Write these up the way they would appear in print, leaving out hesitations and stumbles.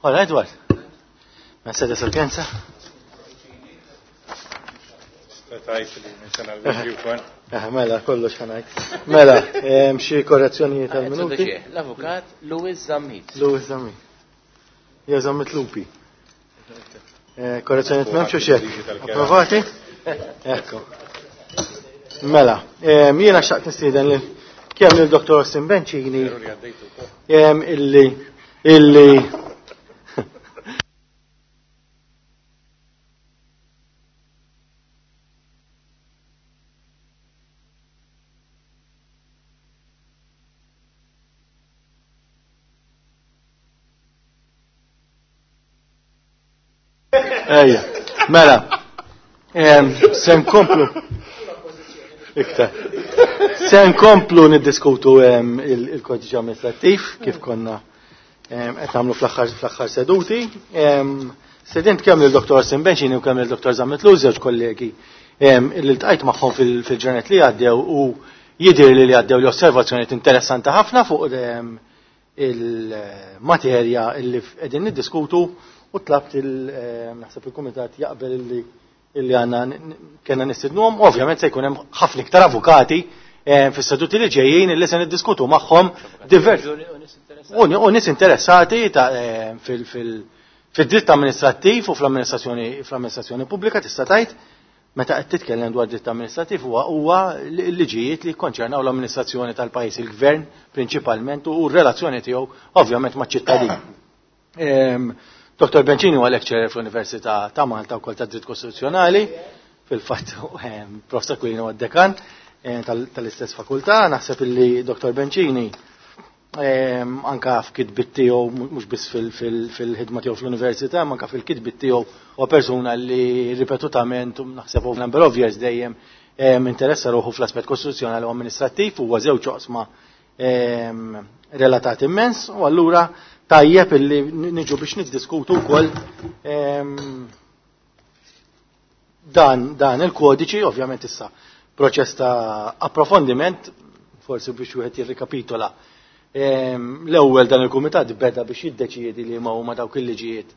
Hola, Edward. Mercedes Urgenza. Mela, kollox ħanajt. Mela, xi korrezzjonijiet tal-minuti. L-avukat Louis Zammit. Louis Zammit. Ja Zammit Lupi. Korrezzjonijiet m'hemmx u xek. Approvati? Ekku. Mela, jiena xtaqt nistieden lil kemm lil Dr. Austin Bencini illi illi Ejja, mela, se nkomplu. Iktar. Se nkomplu niddiskutu il-kodiċi amministrattiv kif konna qed nagħmlu fl-aħħar seduti. Sedint kemm lil Dr. Asim Benċini u kemm lil Dr. Zammit Luz, żewġ kollegi li ltqajt magħhom fil-ġranet li għaddew u jidher li għaddew li osservazzjonijiet interessanti ħafna fuq il-materja li qegħdin niddiskutu u tlabt naħseb il-kumitat jaqbel illi għandna kellna nistidnuhom, ovvjament se jkun hemm ħafna iktar avukati fis-seduti li ġejjin illi se niddiskutu magħhom diversi u nies interessati fid-dritt amministrattiv u fl-amministrazzjoni pubblika tista' tgħid meta qed titkellem dwar dritt amministrattiv huwa l-liġijiet li jikkonċernaw l-amministrazzjoni tal-pajjiż, il-gvern prinċipalment u r-relazzjoni tiegħu ovvjament maċ-ċittadin. Dr. Bencini huwa lecturer fl-Università ta' Malta wkoll ta' Dritt Kostituzzjonali, fil-fatt Prof. Aquilina huwa dekan tal-istess fakultà, naħseb illi Dr. Bencini anka f'kitbit tiegħu mhux biss fil-ħidma tiegħu fl-università, ma anka fil-kitbit tiegħu huwa persuna li ripetutament naħseb over number of years dejjem interessa ruħu fl-aspett kostituzzjonali u amministrattiv, huwa żewġ oqsma relatati immens, u allura tajjeb illi niġu biex niddiskutu wkoll dan il-kodiċi, ovvjament issa proċess ta' approfondiment, forsi biex wieħed jirrikapitola. L-ewwel dan il-kumitat beda biex jiddeċiedi li ma huma dawk il-liġijiet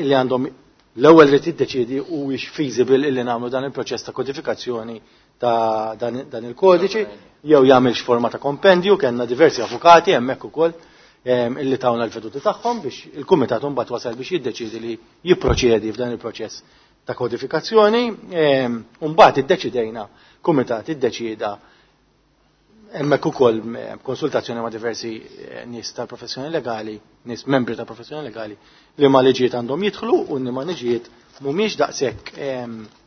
illi għandhom l-ewwel rid jiddeċiedi huwiex feasible illi nagħmlu dan il-proċess ta' kodifikazzjoni ta' dan il-kodiċi, jew jagħmilx forma ta' kompendju, kellna diversi avukati hemmhekk ukoll illi tawna l-veduti tagħhom biex il-kumitat imbagħad wasal biex jiddeċiedi li jipproċedi f'dan il-proċess ta' kodifikazzjoni, u mbagħad iddeċidejna, kumitat iddeċieda hemmhekk ukoll konsultazzjoni ma' diversi nies tal-professjoni legali, nies membri tal-professjoni legali, li ma' liġijiet għandhom jidħlu u li ma' liġijiet mhumiex daqshekk,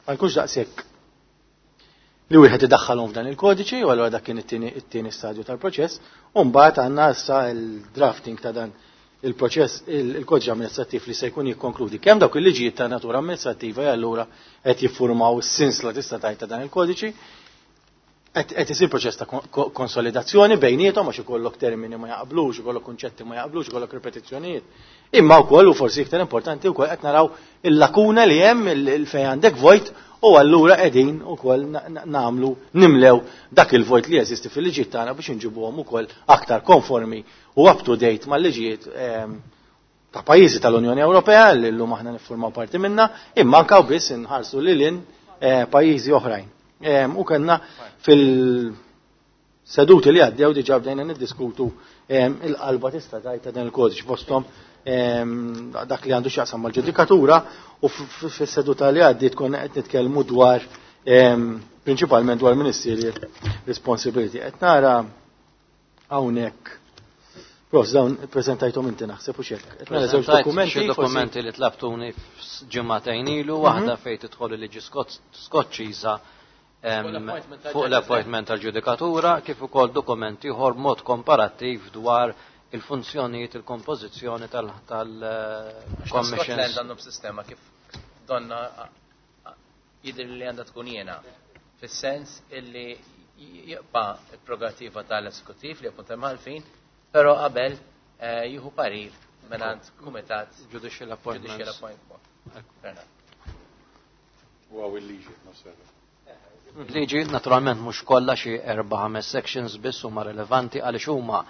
ma jkunx daqshekk li wieħed idaħħalhom f'dan il-kodiċi, u allura dak kien it-tieni stadju tal-proċess, u mbagħad għandna issa il-drafting ta' dan il-proċess, il-kodiċi amministrattiv li se jkun jikkonkludi kemm dawk il-liġijiet ta' natura amministrattiva e allura qed jiffurmaw is-sinsla tista' tgħid ta' dan il-kodiċi, qed isir proċess ta' konsolidazzjoni bejniethom għax ikollok termini ma jaqblux, ikollok kunċetti ma jaqblux, ikollok ripetizzjonijiet. Imma wkoll u forsi iktar importanti wkoll qed naraw il-lakuna li hemm il fejn għandek vojt u allura qegħdin ukoll nagħmlu nimlew dak il-vojt li jeżisti fil-liġijiet tagħna biex inġibuhom ukoll aktar konformi u up to date mal-liġijiet ta' pajjiżi tal-Unjoni Ewropea li llum aħna niffurmaw parti minna, imma anke biss inħarsu lil hinn pajjiżi oħrajn. U kellna fil-seduti li għaddew diġà bdejna niddiskutu il-qalba tista' tgħid ta' dan il-kodiċ fosthom dak li għandu x'jaqsam mal-ġudikatura u fis-seduta li għaddiet konna qed nitkellmu dwar prinċipalment dwar ministerial responsibility. Qed nara hawnhekk Prof, dawn prezentajtom inti naħseb u xek. Qed nara żewġ dokumenti. Xi dokumenti li tlabtuni f'ġimgħatejn ilu, waħda fejn tidħol il-liġi Skoċċiża fuq l-appointment tal-ġudikatura, kif ukoll dokumenti ieħor mod komparattiv dwar il-funzjonijiet, il-kompożizzjoni tal-commissions. Scotland għandhom sistema kif donna jidher li għandha tkun jiena, fis-sens illi jibqa' il-prerogativa tal-esekutiv li appunta imħallfin, però qabel jieħu parir mingħand kumitat Judicial appointments. Judicial appointment. Huwa il-liġi nosserva. Liġi naturalment mhux kollha xi 4-5 sections biss huma relevanti għaliex huma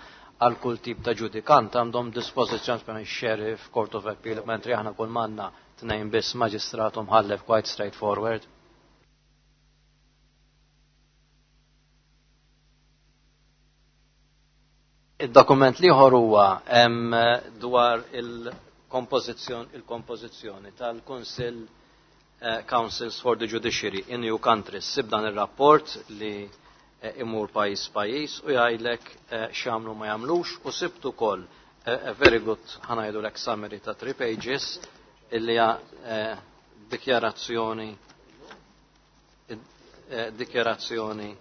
għal kull tip ta' ġudikant għandhom dispożizzjoni per sheriff, court of appeal, mentri aħna kull manna tnejn biss maġistrat u mħallef quite straightforward. Id-dokument l-ieħor huwa dwar il-kompożizzjoni tal-Kunsill Councils for the Judiciary in EU countries. Sib dan ir-rapport li imur pajjiż pajjiż u jgħidlek x'jagħmlu ma jagħmlux u sibt ukoll a very good ħa ngħidulek summary ta' 3 pages illi hija dikjarazzjoni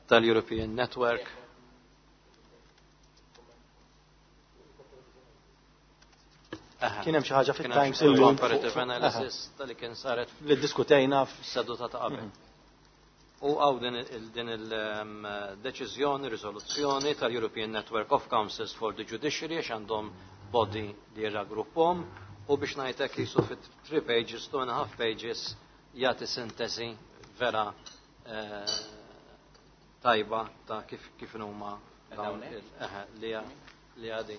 tal-European Network. Kien hemm xi ħaġa fit-Times illum comparative analysis tal-li kien saret li ddiskutejna f'seduta ta' qabel. U għaw din il-deċiżjoni, riżoluzzjoni tal-European Network of Councils for the Judiciary għax għandhom body li jirraggruppom u biex ngħidlek jisu fit 3 pages, 2.5 pages jagħti sintesi vera tajba ta' kif huma dawn li għadi.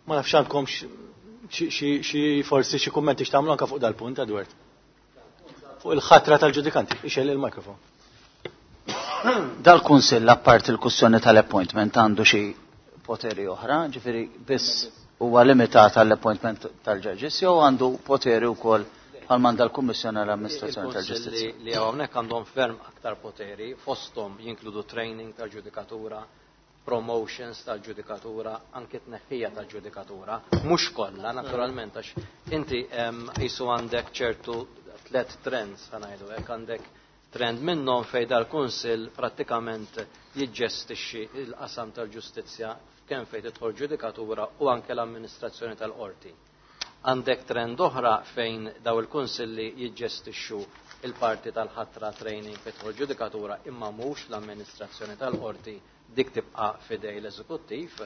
Ma nafx għandkom xi forsi xi kummenti x'tagħmlu anke fuq dal-punt, Edward. Fuq il-ħatra tal-ġudikanti, ixel il-mikrofon. Dal-Kunsill apparti l-kwistjoni tal-appointment għandu xi poteri oħra, ġifieri biss huwa limitat għall-appointment tal-ġudges jew għandu poteri wkoll bħal manda l-Kummissjoni għall-Amministrazzjoni tal-Ġustizzja. Li hawnhekk għandhom ferm aktar poteri, fosthom jinkludu training tal-ġudikatura, promotions tal-ġudikatura, anke tneħħija tal-ġudikatura, mhux kollha naturalment għax inti qisu għandek ċertu tliet trends ħa ngħidu hekk, għandek trend minnhom fejn dal-Kunsill prattikament jiġġestixxi l-qasam tal-ġustizzja kemm fejn tidħol ġudikatura u anke l-amministrazzjoni tal-qorti. Għandek trend oħra fejn daw il-kunsilli jiġġestixxu il-parti tal-ħatra training fejn tidħol ġudikatura imma mhux l-amministrazzjoni tal-qorti, dik tibqa' fidej l-eżekuttiv.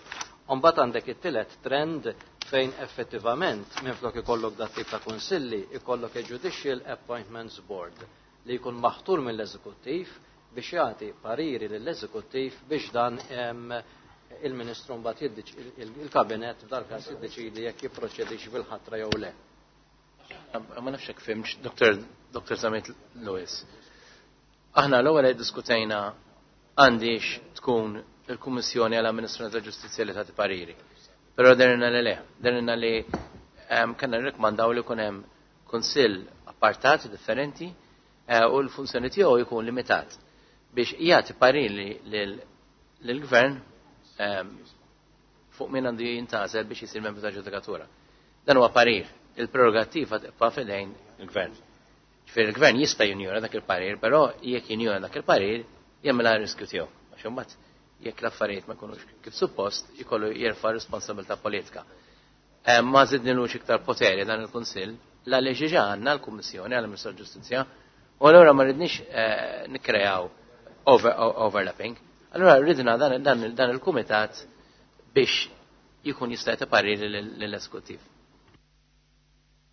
Mbagħad għandek it-tielet trend fejn effettivament minflok ikollok dat tip ta' kunsilli ikollok a Judicial Appointments Board li jkun maħtur mill-eżekuttiv biex jagħti pariri lill-eżekuttiv biex dan il-Ministru mbagħad il-Kabinett f'dal-każ jiddeċidi jekk jipproċedix bil-ħatra jew le. Ma nafx hekk fhimx, Dr. Zammit Lewis. Aħna l-ewwel diskutejna għandix tkun il-Kummissjoni għall-Amministrazzjoni tal-Ġustizzja li tagħti pariri. Però derina li le, derina li kellna nirrikmandaw li jkun hemm kunsill appartat differenti u l-funzjoni tiegħu jkun limitat biex jagħti pariri lill-gvern fuq min għandu jintgħażel biex jisir membru ta' ġudikatura. Dan huwa parir, il-prerogattiva tibqa' f'idejn il-gvern. Ġifieri il-gvern jista' jinjora dak il-parir, però jekk jinjora dak il-parir jagħmilha riskju tiegħu. Għax imbagħad jekk l-affarijiet ma jkunux kif suppost, jkollu jerfa' responsabilità politika. Ma żidnilux iktar poteri dan il-Kunsill, la li ġiġa għandna l-Kummissjoni għall-Amministrazzjoni tal-Ġustizzja, u allura ma rridniex nikkreaw overlapping. Allura ridna dan il-kumitat biex jkun jista' jagħti pariri lill-eżekuttiv.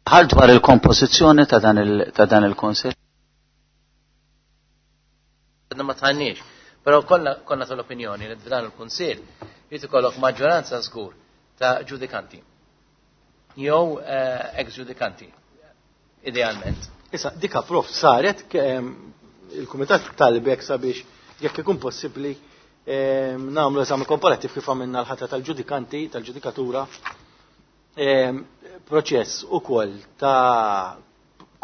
Ħal dwar il-kompożizzjoni ta' dan il-Kunsill? Għadna ma tħannix, però konna tal-opinjoni li f'dan il-Kunsill jrid ikollok maġġoranza żgur ta' ġudikanti jew ex-ġudikanti, idealment. Issa, dika prof saret il-Kumitat talbek sabiex jekk ikun possibbli nagħmlu eżami komparattiv kif għamilna l-ħatra tal-ġudikanti, tal-ġudikatura, proċess ukoll ta'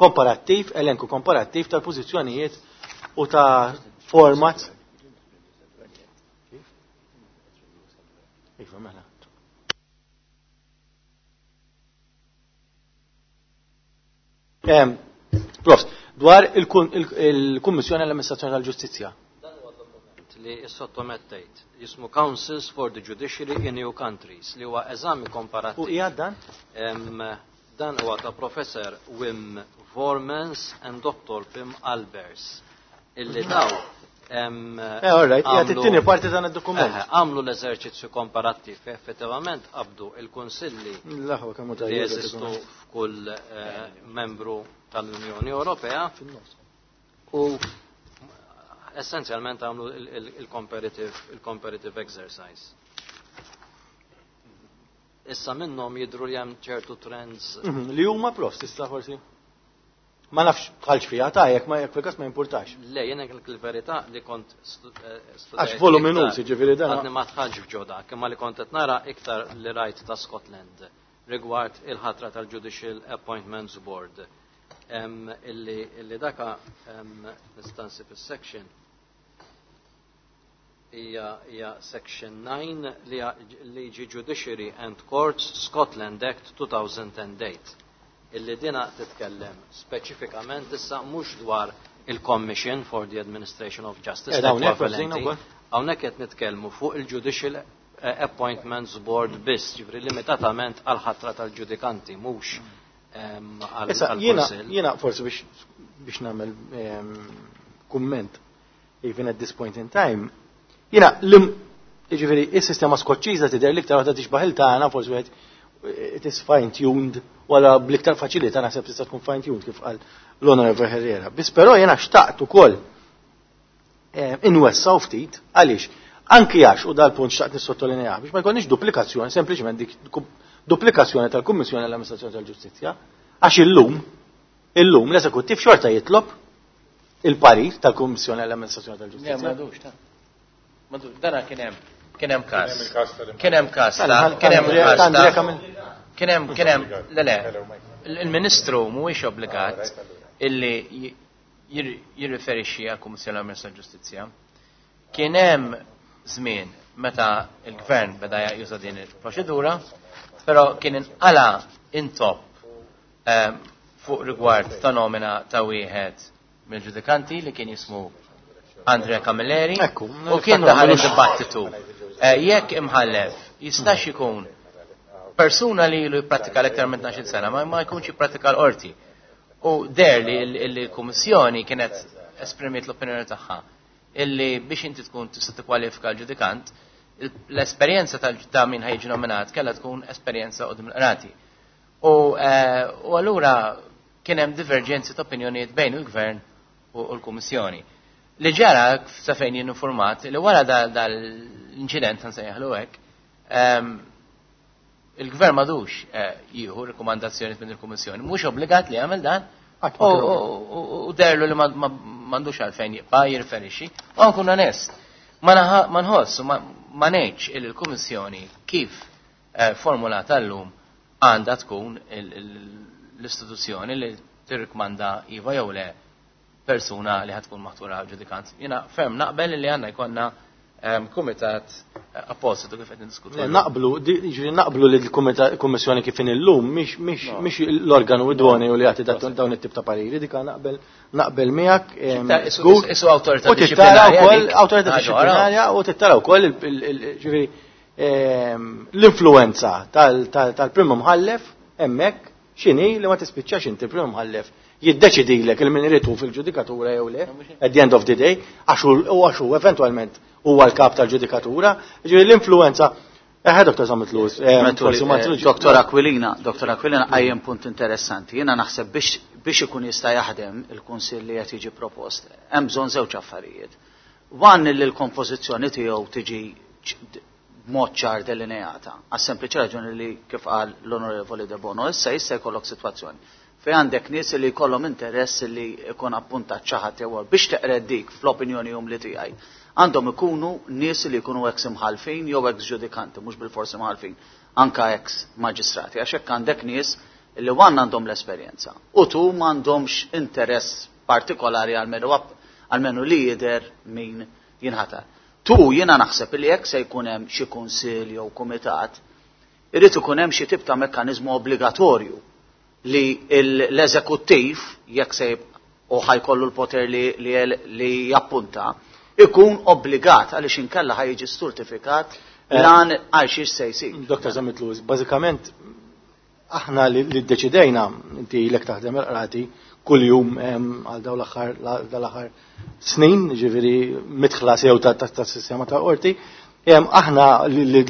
komparattiv, elenku komparattiv tal-pożizzjonijiet u ta' format. Iva, mela. Prof, dwar il-Kummissjoni għall-Amministrazzjoni tal-Ġustizzja. Dan huwa dokument li sottomettejt jismu Councils for the Judiciary in EU Countries li huwa eżami komparattiv. U hija dan? Dan huwa ta' Professor Wim Voermans and Dr. Pim Albers. Illi daw, All right, hija t-tieni parti dan id-dokument. Għamlu l-eżerċizzju komparattiv, effettivament qabdu il-kunsilli L-aħwa kemm hu li tajjeb jeżistu id-dokument. f'kull membru tal-Unjoni Ewropea u Essenzjalment għamlu il-comparative exercise. Issa minnhom jidhru li hemm ċertu trends. Li huma prof, tista' forsi? Ma nafx bħalx fiha ta' jekk ma jekk fil-każ ma jimpurtax. Le, jiena il-verità li kont studajt. Għax voluminuż, jiġifieri dan. Għadni ma dħalx f'ġo dak, imma li kont qed nara iktar li rajt ta' Scotland rigward il-ħatra tal-Judicial Appointments Board. Illi daka nista' nsib is-section hija section 9 li liġi Judiciary and Courts Scotland Act 2008 illi dina titkellem speċifikament issa mhux dwar il-Commission for the Administration of Justice. Hawnhekk qed nitkellmu fuq il-Judicial Appointments Board biss, ġifri limitatament għal ħatra tal-ġudikanti, mhux għal Jiena forsi biex nagħmel kumment even at this point in time, jiena ġifieri is-sistema Skoċċiża tidher l-iktar waħda tixbaħ il-tagħna, forsi wieħed it is fine-tuned, wala bl-iktar faċilità naħseb tista' tkun fine-tuned kif qal l-Honorable Herrera. Biss però jiena xtaqt ukoll inwessaw ftit, għaliex anki għax, u dal-punt xtaqt nissottolinjah, biex ma jkollniex duplikazzjoni, sempliċement dik duplikazzjoni tal-Kummissjoni għall-Amministrazzjoni tal-Ġustizzja, għax illum l-eżekuttiv xorta jitlob il-parir tal-Kummissjoni għall-Amministrazzjoni tal-Ġustizzja. M'għadux, ta' m'għadux, dana kien hemm każ. Kien hemm każ kien hemm każ kien hemm kien hemm le le il-Ministru mhuwiex obbligat illi jirriferixxi għall-Kummissjoni għall-Amministrazzjoni tal-Ġustizzja. Kien hemm żmien meta il-Gvern beda juża din il-proċedura, però kien inqala intop fuq rigward ta' nomina ta' wieħed mill-ġudikanti li kien jismu Andrea Camilleri u kien daħal id-dibattitu. Jekk imħallef jistax ikun persuna li ilu jipprattika l-iktar minn 12 sena ma jkunx jipprattika l-qorti. U der li l-Kummissjoni kienet esprimiet l-opinjoni tagħha illi biex inti tkun tista' tikkwalifika l-ġudikant, l-esperjenza ta' min ħajġi nominat kellha tkun esperjenza qudiem il-qrati. U allura kien hemm diverġenzi ta' opinjonijiet bejn il-Gvern u l-Kummissjoni. Li ġara sa fejn jien informat li wara dal-inċident nsejjaħlu hekk, il-Gvern m'għadux jieħu rikomandazzjoni minn il-Kummissjoni, mhux obbligat li jagħmel dan, u derlu li m'għandux għalfejn jibqa' jirferixxi, u nkun onest. Ma nħoss, ma ngħidx il l-Kummissjoni kif formulata llum għandha tkun l-istituzzjoni li tirrikmanda iva jew le persuna li ħatkun maħtura ġudikant. Jiena ferm naqbel li għandna jkollna kumitat appositu kif qed niddiskutu. Naqblu, ġifieri naqblu li l-Kummissjoni kif illum mhix l-organu idoneu li jagħti dawn it-tip ta' pariri, dik naqbel miegħek. Isu awtorità dixxiplinarja. Awtorità dixxiplinarja u tittara wkoll ġifieri l-influenza tal-prim imħallef hemmhekk x'inhi li ma tispiċċax inti prim imħallef jiddeċidilek il min iritu fil-ġudikatura jew le, at the end of the day, għax hu eventwalment huwa l-kap tal-ġudikatura, ġifieri l-influenza. Dr. Zammit Lewis, forsi ma tilux. Dr. Aquilina, Dr. Aquilina qajjem punt interessanti. Jiena naħseb biex ikun jista' jaħdem il-kunsill li qed jiġi propost, hemm bżonn żewġ affarijiet. One li l-kompożizzjoni tiegħu tiġi b'mod ċar delineata, għas sempliċi raġuni li kif qal l-Onorevoli De Bono, issa jista' jkollok sitwazzjoni fejn għandek nies li jkollhom interess li jkun appuntat xi ħadd jew biex teqred dik fl-opinjoni umli tiegħi. Għandhom ikunu nies li jkunu ex imħalfin jew ex ġudikanti, mhux bil-forsi imħalfin, anka ex maġistrati, għax hekk għandek nies li wan għandhom l-esperjenza u tu m'għandhomx interess partikolari għalmenu li jidher min jinħatar. Tu jiena naħseb li jekk se jkun hemm xi kunsill jew kumitat, irid ikun hemm xi tip ta' mekkaniżmu obbligatorju li l-eżekuttiv, jekk se u ħajkollu l-poter li jappunta, ikun obbligat għaliex inkella ħajġi sturtifikat lan għal xiex se jsir. Dr. Zammit Lewis, bażikament aħna li ddeċidejna, inti ilek taħdem il-qrati kuljum għal dawn l-aħħar snin, ġifieri midħla sew ta' sistema ta' qorti, aħna li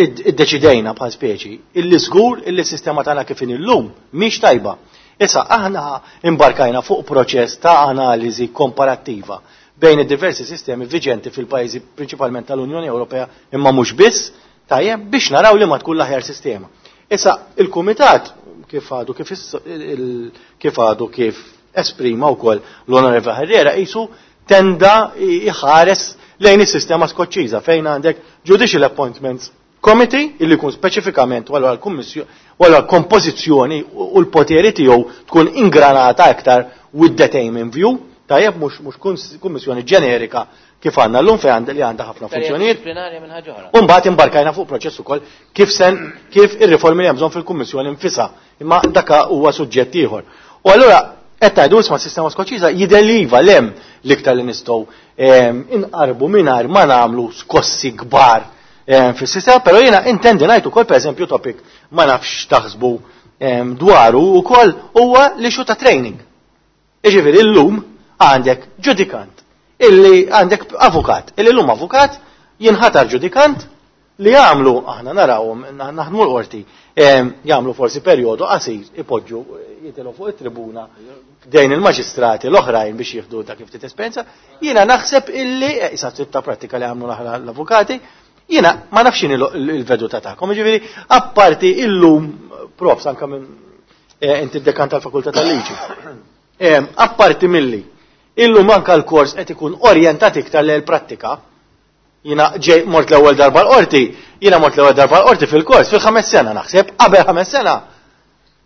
iddeċidejna bħal speċi illi żgur illi s-sistema tagħna kif inhi llum mhix tajba. Issa aħna imbarkajna fuq proċess ta' analiżi komparattiva bejn id-diversi sistemi viġenti fil-pajjiżi prinċipalment tal-Unjoni Ewropea imma mhux biss, tajjeb biex naraw li ma tkun l-aħjar sistema. Issa il-Kumitat kif għadu kif kif għadu kif esprima wkoll l-Onorevoli Herrera qisu tenda jħares lejn is-sistema Skoċċiża fejn għandek Judicial Appointments Committee illi jkun speċifikament u allura l-kummissjoni u allura l-kompożizzjoni u l-poteri tiegħu tkun ingranata aktar with that aim in view, tajjeb mhux mhux kummissjoni ġenerika kif għandna llum fejn għandha li għandha ħafna funzjonijiet. U mbagħad imbarkajna fuq proċess ukoll kif sen kif ir-riformi li hemm bżonn fil-kummissjoni nfisha, imma daka huwa suġġett ieħor. U allura qed tgħidu isma' s-sistema Skoċċiża jidher li iva l hemm l-iktar li nistgħu inqarbu mingħajr ma nagħmlu skossi kbar fis-sistema, però jiena intendi ngħid ukoll pereżempju topic ma nafx taħsbu dwaru ukoll huwa l-issue ta' training. Jiġifieri llum għandek ġudikant illi għandek avukat, illi llum avukat jinħatar ġudikant li jagħmlu aħna narawhom naħdmu l-qorti jagħmlu forsi perjodu qasir ipoġġu jitilgħu fuq it-tribuna dejn il-maġistrati l-oħrajn biex jieħdu dak ftit esperjenza. Jiena naħseb illi issa tip ta' prattika li għamlu l-avukati, jiena ma nafx x'inhi l-veduta tagħkom. Jiġifieri apparti illum profs anke minn inti d-dekan tal-Fakultà tal-Liġi. Apparti milli illum anke l-kors qed ikun orjentat iktar lejn il-prattika. Jiena ġej mort l-ewwel darba l-qorti, jiena mort l-ewwel darba l-qorti fil-kors fil-ħames sena naħseb, qabel ħames sena.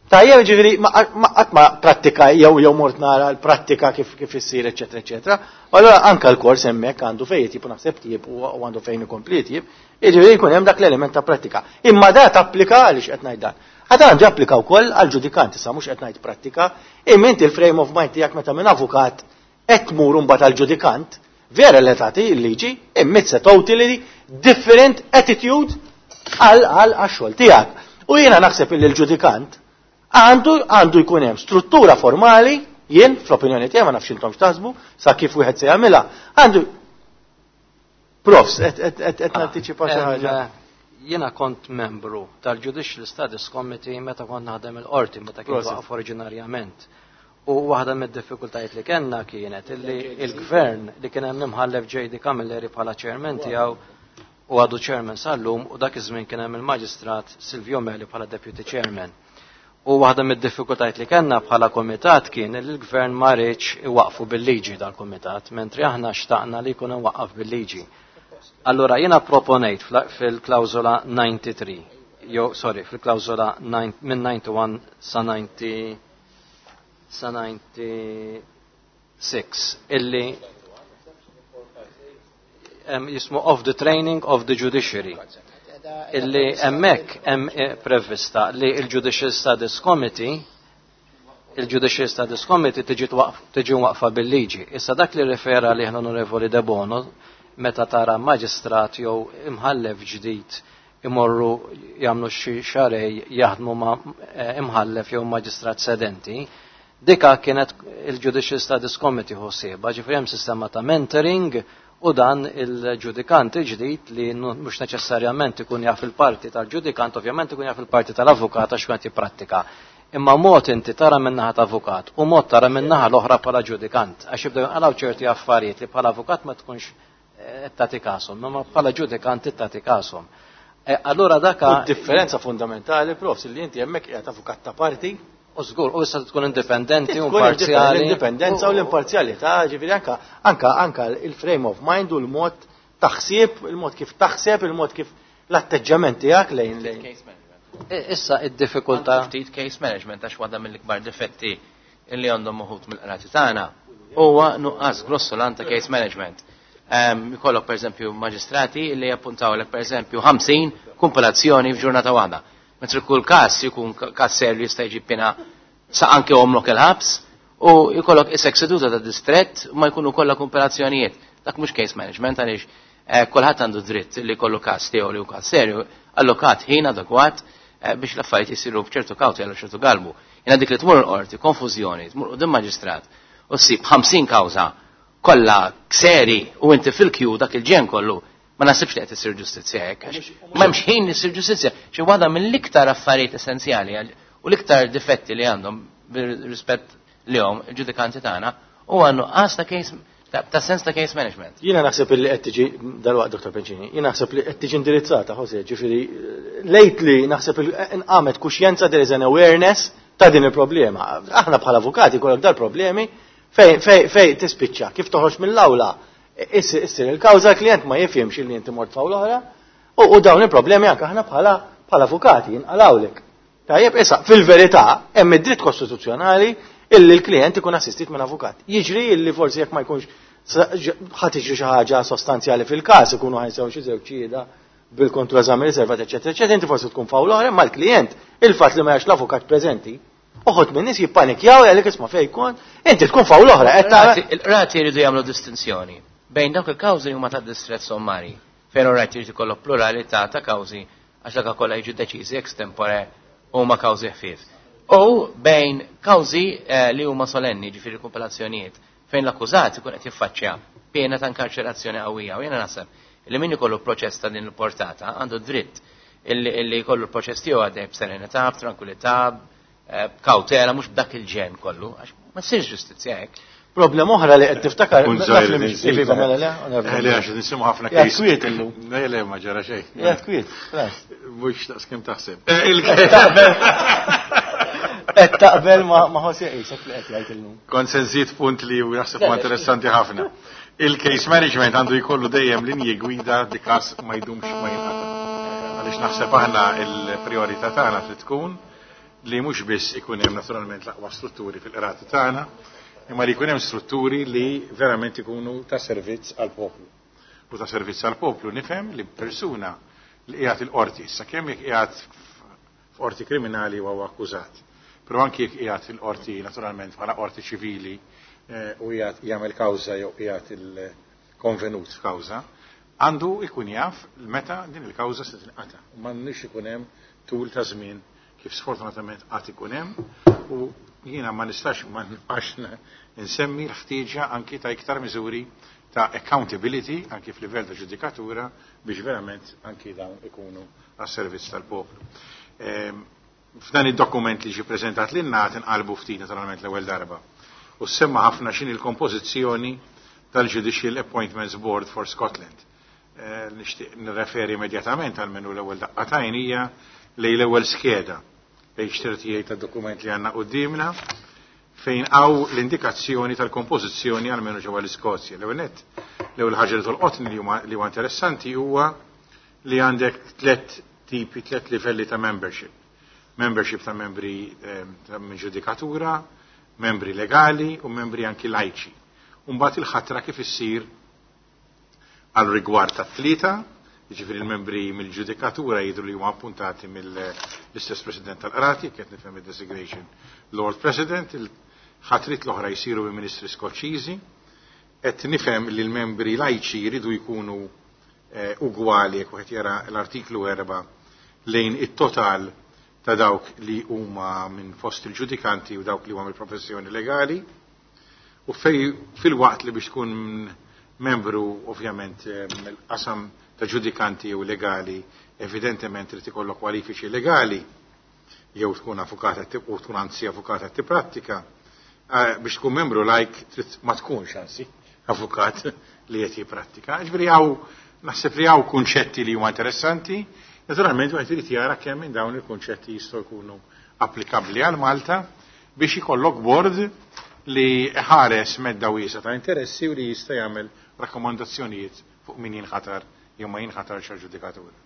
Tajjeb ġifieri ma qatt ma prattika jew jew mort nara l-prattika kif kif issir, eċetera, eċetera. Allura anke l-kors hemmhekk għandu fejn jitjib u naħseb tjieb u għandu fejn ikompli jitjib, jiġifieri jkun hemm dak l-element ta' prattika. Imma da tapplika għaliex qed ngħid dan. Għad għandu japplika wkoll għal ġudikant, issa mhux qed ngħid prattika, imma inti l-frame of mind tiegħek meta minn avukat qed tmur imbagħad għal ġudikant, vera li tagħti l-liġi, imma it's a totally different attitude għal għax-xogħol tiegħek. U jiena naħseb illi l-ġudikant għandu għandu jkun hemm struttura formali, jien fl-opinjoni tiegħi ma nafx intom x'taħsbu, sa kif wieħed se jagħmilha, għandu Profs, qed nantiċipa xi ħaġa. Jiena kont membru tal-Judicial Studies Committee meta kont naħdem il-qorti, meta kien waqaf oriġinarjament. U waħda mid-diffikultajiet li kellna kienet illi il-gvern li kien hemm imħallef J.D. Camilleri bħala chairman tiegħu u għadu chairman sal-lum u dak iż-żmien kien hemm il-Maġistrat Silvio Meli bħala deputy chairman. U waħda mid-diffikultajiet li kellna bħala komitat kien li l-gvern ma riedx iwaqfu bil-liġi dal-komitat, mentri aħna xtaqna li jkun imwaqqaf bil-liġi. Allura jiena proponejt fil-klawżola 93, jew sorry, fil-klawżola minn 91 sa 90 sa 96 illi jismu of the training of the judiciary illi hemmhekk hemm prevista li il-Judicial Studies Committee il-Judicial Studies Committee tiġi tiġi waqfa bil-liġi. Issa dak li refera li l-Onorevoli De Bono meta tara maġistrat jew imħallef ġdid imorru jagħmlu xi xarej jaħdmu ma' imħallef jew maġistrat sedenti, dika kienet il-Judicial Studies Committee ħsiebha, ġifieri hemm sistema ta' mentoring u dan il-ġudikant il-ġdid li mhux neċessarjament ikun jaf il-parti tal-ġudikant, ovvjament ikun jaf il-parti tal-avukat għax kont jipprattika. Imma mod inti tara min-naħa ta' avukat u mod tara min-naħa l-oħra bħala ġudikant, għax jibdew jinqalgħu ċerti affarijiet li bħala avukat ma tkunx tagħti kashom, imma bħala ġudikant tagħti kashom. Allura daka. U differenza fundamentali, profs, li inti hemmhekk qiegħed avukat ta' parti. U żgur, u issa tkun indipendenti u imparzjali. L-indipendenza u l-imparzjalità, ġifieri anka anka anka il-frame of mind u l-mod taħsib, il-mod kif taħseb, il-mod kif l-atteġġament tiegħek lejn lejn. Issa id-diffikultà. Ftit case management għax waħda mill-ikbar difetti illi għandhom uħud mill-qrati tagħna huwa nuqqas grossolan ta' case management. Ikollok pereżempju maġistrati li jappuntawlek pereżempju 50 kumpilazzjoni f'ġurnata waħda. Mentri kull każ jkun każ serju jista' jġib pena sa anke omlok il-ħabs u jkollok isek seduta ta' distrett u ma jkunu kollha kumpilazzjonijiet. Dak mhux case management għaliex kulħadd għandu dritt li jkollu każ tiegħu li hu każ serju, allokat ħin adekwat biex l-affarijiet isiru b'ċertu kawti għal ċertu galbu. Jiena dik li tmur l-qorti, konfużjoni, tmur quddiem maġistrat u ssib 50 kawża kollha seri u inti fil-kju dak il-ġen kollu, ma nasibx li qed isir ġustizzja hekk, għax m'hemmx ħin li ssir ġustizzja. Xi waħda mill-iktar affarijiet essenzjali u l-iktar difetti li għandhom bir-rispett lihom il-ġudikanti tagħna huwa nuqqas ta' case ta' sens ta' case management. Jiena naħseb li qed tiġi dalwaqt Dr. Bencini, jiena naħseb li qed tiġi indirizzata, Jose, ġifieri lately naħseb li nqamet kuxjenza, there is an awareness ta' din il-problema. Aħna bħala avukati kollok dal-problemi fej tispiċċa, kif toħroġ mill-awla, issir il-kawża, l-klient ma jifhimx li inti mort f'awla oħra, u dawn il-problemi anke aħna bħala avukati jinqalawlek. Tajjeb, issa, fil-verità, hemm id-dritt kostituzzjonali illi l-klient ikun assistit minn avukat. Jiġri illi forsi jekk ma jkunx ħa tiġri xi ħaġa sostanzjali fil-każ, ikunu ħajsew xi żewġ xhieda bil-kontroeżami riservat, eċetera, eċetera, inti forsi tkun f'awla oħra, imma l-klient, il-fatt li ma jax l-avukat preżenti, uħud minn nies jippanikjaw għalik isma' fejn jkun, inti tkun f'awla oħra, qed tara. Il-qrati jridu jagħmlu distinzjoni bejn dawk il-kawżi li huma ta' distrett sommari, fejn orajt jrid ikollok pluralità ta' kawżi għax dak kollha jiġu deċiżi extempore huma kawżi ħfief. U bejn kawżi li huma solenni, ġifieri kumpilazzjonijiet, fejn l-akkużat ikun qed jiffaċċja pena ta' inkarċerazzjoni qawwija. U jiena naħseb li min ikollu proċess ta' din il-portata għandu dritt illi jkollu l-proċess tiegħu għaddej b'serenità, b'tranquillità, b'kawtela, mhux b'dak il-ġen kollu, għax ma ssirx ġustizzja hekk. Problema oħra li qed tiftakar, Kun naf żgħir li li mhix nżid. iva, mela le, onorevoli. Le, għax nisimgħu ħafna Ja, case. kwiet illum. Le, le, ma ġara xejn. Ja, kwiet, ras. Mhux daqs kemm taħseb. Qed taqbel ma' Jose Isaac li qed jgħid illum. Kont se nżid punt li hu naħseb huwa interessanti ħafna. Il-case management għandu jkollu dejjem linji gwida di każ ma jdumx ma jinqata'. Għaliex naħseb aħna l-priorità tagħna trid tkun li mhux biss ikun hemm naturalment l-aqwa strutturi fil-qrati tagħna, imma li jkun hemm strutturi li verament ikunu ta' servizz għall-poplu. U ta' servizz għall-poplu nifhem li persuna li qiegħed il-qorti, issa kemm jekk qiegħed f'qorti kriminali huwa akkużat, però anki jekk qiegħed il-qorti naturalment bħala qorti ċivili u qiegħed jagħmel kawża jew qiegħed il-konvenut f'kawża, għandu ikun jaf meta din il-kawża se tinqata'. U m'għandux ikun hemm tul ta' żmien kif sfortunatament qatt ikun hemm, u jiena ma nistax ma nibqax nsemmi l-ħtieġa anki ta' iktar miżuri ta' accountability anki f'livell ta' ġudikatura biex verament anki dawn ikunu għas-servizz tal-poplu. F'dan id-dokument li ġi preżentat lilna qed inqalbu ftit naturalment l-ewwel darba. U semma ħafna x'inhi l-kompożizzjoni tal-Judicial Appointments Board for Scotland. Nixtieq nirreferi immedjatament għal minnu l-ewwel daqqa t'għajn hija lejn l-ewwel skeda, page 38 tad-dokument li għandna quddiemna, fejn hawn l-indikazzjoni tal-kompożizzjoni għal minnu ġewwa l-Iskozja. L-ewwel nett, l-ewwel ħaġa li tolqotni li huwa interessanti huwa li għandek tliet tipi, tliet livelli ta' membership. Membership ta' membri ta' minn ġudikatura, membri legali u membri anki lajċi. Mbagħad il-ħatra kif issir għal rigward ta' tlieta, jiġifieri l-membri mill-ġudikatura jidhru li huma appuntati mill-istess President tal-Qrati, qed nifhem id-designation Lord President, il-ħatrit l-oħra jsiru minn ministri Skoċċiżi, qed nifhem li l-membri lajċi jridu jkunu ugwali jekk wieħed jara l-artiklu 4 lejn it-total ta' dawk li huma minn fost il-ġudikanti u dawk li huma mill-professjoni legali, u fil-waqt li biex tkun membru ovvjament mill-qasam ta' ġudikanti u legali, evidentement trid ikollok kwalifiċi legali, jew tkun avukata u tkun anzi avukata tipprattika, biex tkun membru lajk trid ma tkunx anzi avukat li qed jipprattika. Ġifieri hawn naħseb li hawn kunċetti li huma interessanti, naturalment wieħed irid jara kemm minn dawn il-kunċetti jistgħu jkunu applikabbli għal Malta biex ikollok board li ħares medda wiesa ta' interessi u li jista' jagħmel rakkomandazzjonijiet fuq min jinħatar jew ma jinħatarx għal ġudikatura.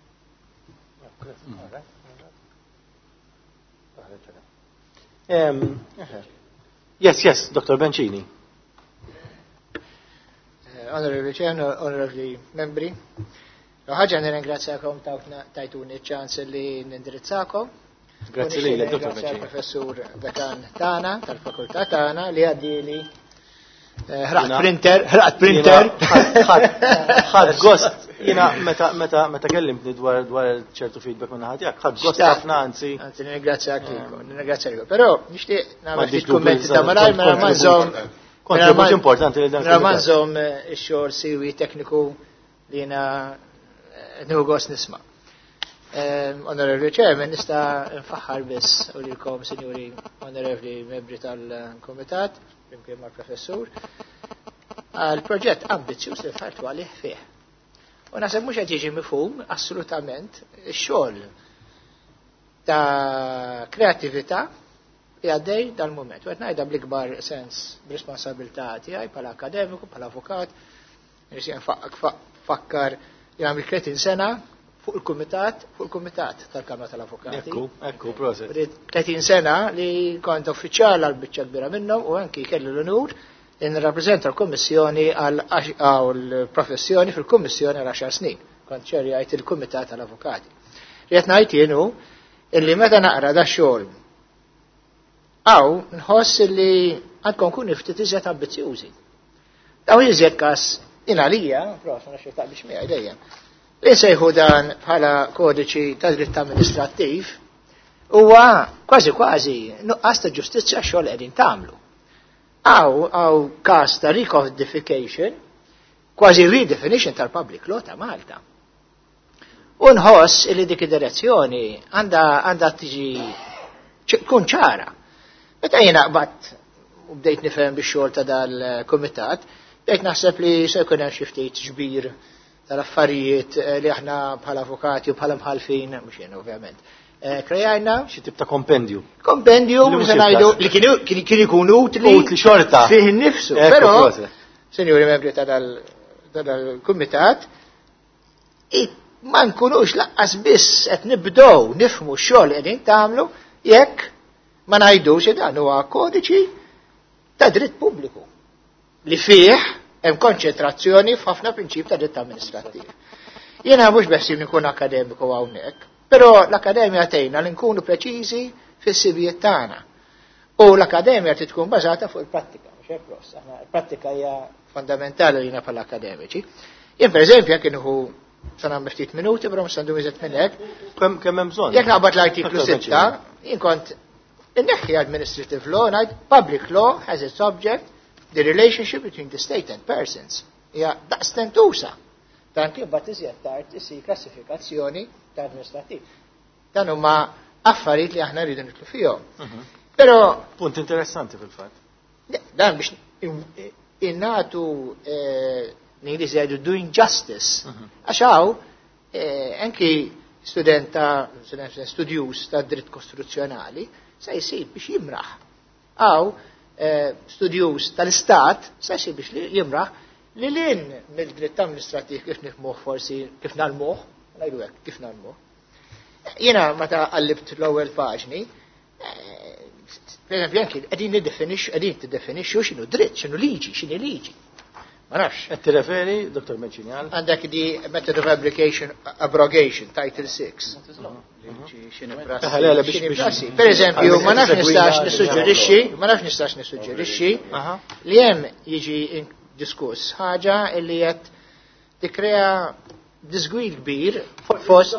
Yes, yes, Dr. Bencini. Honorable Chair, Honorable Membri, ħaġa nirringrazzjakom tajtuni ċ-ċans li nindirizzakom. Grazzi lilek, Dr. Nirringrazzja Bencini. Professur Dekan tagħna, tal-fakultà tagħna, li għaddili ħraqt printer, ħraqt printer. Ħadd gost. Jiena meta kellimtni dwar ċertu feedback minn ħadd tiegħek, ħadd gost Xtaqt. ħafna anzi. Anzi, nirringrazzjak lilkom, nirringrazzjak lilkom. Però nixtieq nagħmel Ma ftit dik kummenti dubju ta' malajr, mela ma nżomm Kontribut importanti li dan Mela ma il-kumitat. nżomm ix-xogħol siwi tekniku li jiena nieħu gost nisma'. Onorevoli Chairman, nista' nfaħħar biss u lilkom, sinjuri onorevoli membri tal-Kumitat, flimkien mal-Professur, għal proġett ambizzjuż li dħaltu għalih fih. U naħseb mhux qed jiġi mifhum assolutament ix-xogħol ta' kreattività li għaddej dal-mument. U qed ngħidha bl-ikbar sens b'responsabilità tiegħi bħala akademiku, bħala avukat, nixtieq nfakkar li għamil 30 sena fuq il-kumitat tal-Kamra tal-Avukati. Ekku, ekku, proset. 30 sena li kont uffiċjal għal biċċa kbira minnhom u anki kelli l-onur li nirrappreżenta l-Kummissjoni għal professjoni fil-Kummissjoni għal 10 snin. Kont ċerjajt il-Kumitat tal-Avukati. Li qed ngħid jien hu illi meta naqra da xogħol hawn nħoss illi għandkom kun ftit iżjed ambizzjużi. Daw iżjed każ għalija, prof, ma nafx taqbilx miegħi dejjem. Li nsejħu dan bħala kodiċi ta' dritt amministrattiv huwa kważi kważi nuqqas ta' ġustizzja xogħol qegħdin tagħmlu. Hawn każ ta' recodification, kważi redefinition tal-public law ta' Malta. U nħoss li dik id-direzzjoni għandha tiġi tkun ċara. Meta jiena qbadt u bdejt nifhem bix-xogħol ta' dal-kumitat, bdejt naħseb li se jkun hemm xi ftit ġbir tal-affarijiet li aħna bħala avukati u bħala mħalfin, mhux jien ovvjament. Krejajna xi tip ta' kompendju. Kompendju, Li mhux se ngħidu il-każ. li kien ikun utli Utli xorta. Fih innifsu. Ekku, Però, proset. sinjuri membri ta' dal-kumitat, ma nkunux laqqas biss qed nibdew nifhmu x-xogħol li qegħdin tagħmlu jekk ma ngħidux li dan huwa kodiċi ta' dritt pubbliku li fih hemm konċentrazzjoni f'ħafna prinċip ta' dritt amministrattiv. Jiena mhux beħsib nkun akademiku hawnhekk, però l-akademja tgħinna li nkunu preċiżi fis-sibijiet tagħna. U l-akademja trid tkun bażata fuq il-prattika, mhux hekk Ross, aħna l-prattika hija fondamentali lina bħala akademiċi. Jien pereżempju jekk inħu sa nagħmel ftit minuti, però mhux għandu iżjed minn hekk. Kemm hemm bżonn? Jekk naqbad l-artiklu Aktar 6, bżonn. jien kont inneħħi administrative law, ngħid public law has its object the relationship between the state and persons. Hija daqstentusa. Dan kien bat iżjed tard isir klassifikazzjoni ta' administrativ. Dan huma affarijiet li aħna rridu nitlu fihom. Però punt interessanti fil-fatt. Dan biex innatu l-Ingliż jgħidu doing justice. Għax hawn anki student ta' student studjus ta' dritt kostituzzjonali se jsib biex jimraħ. Hawn studjus tal-istat se jsib biex jimraħ li lin mill-dritt amministrativ kif nifhmuh forsi kif nagħlmuh, ngħidu hekk kif nagħlmuh. Jiena meta qallibt l-ewwel paġni, per eżempju, anki qegħdin niddefinixxu, qegħdin tiddefinixxu x'inhu dritt, x'inhu liġi, x'inhi liġi. Ma nafx. Qed tirreferi, Dr. Meċinjal? Għandek di method of abrogation, abrogation, Title 6. X'inhi prassi. Eh, le, le, biex- X'inhi biex- prassi. Per eżempju, ma nafx Segwina nistax li nissuġġerixxi, ma nafx nistax nissuġġerixxi li hemm jiġi diskuss ħaġa li qed tikkrea disgwid kbir fost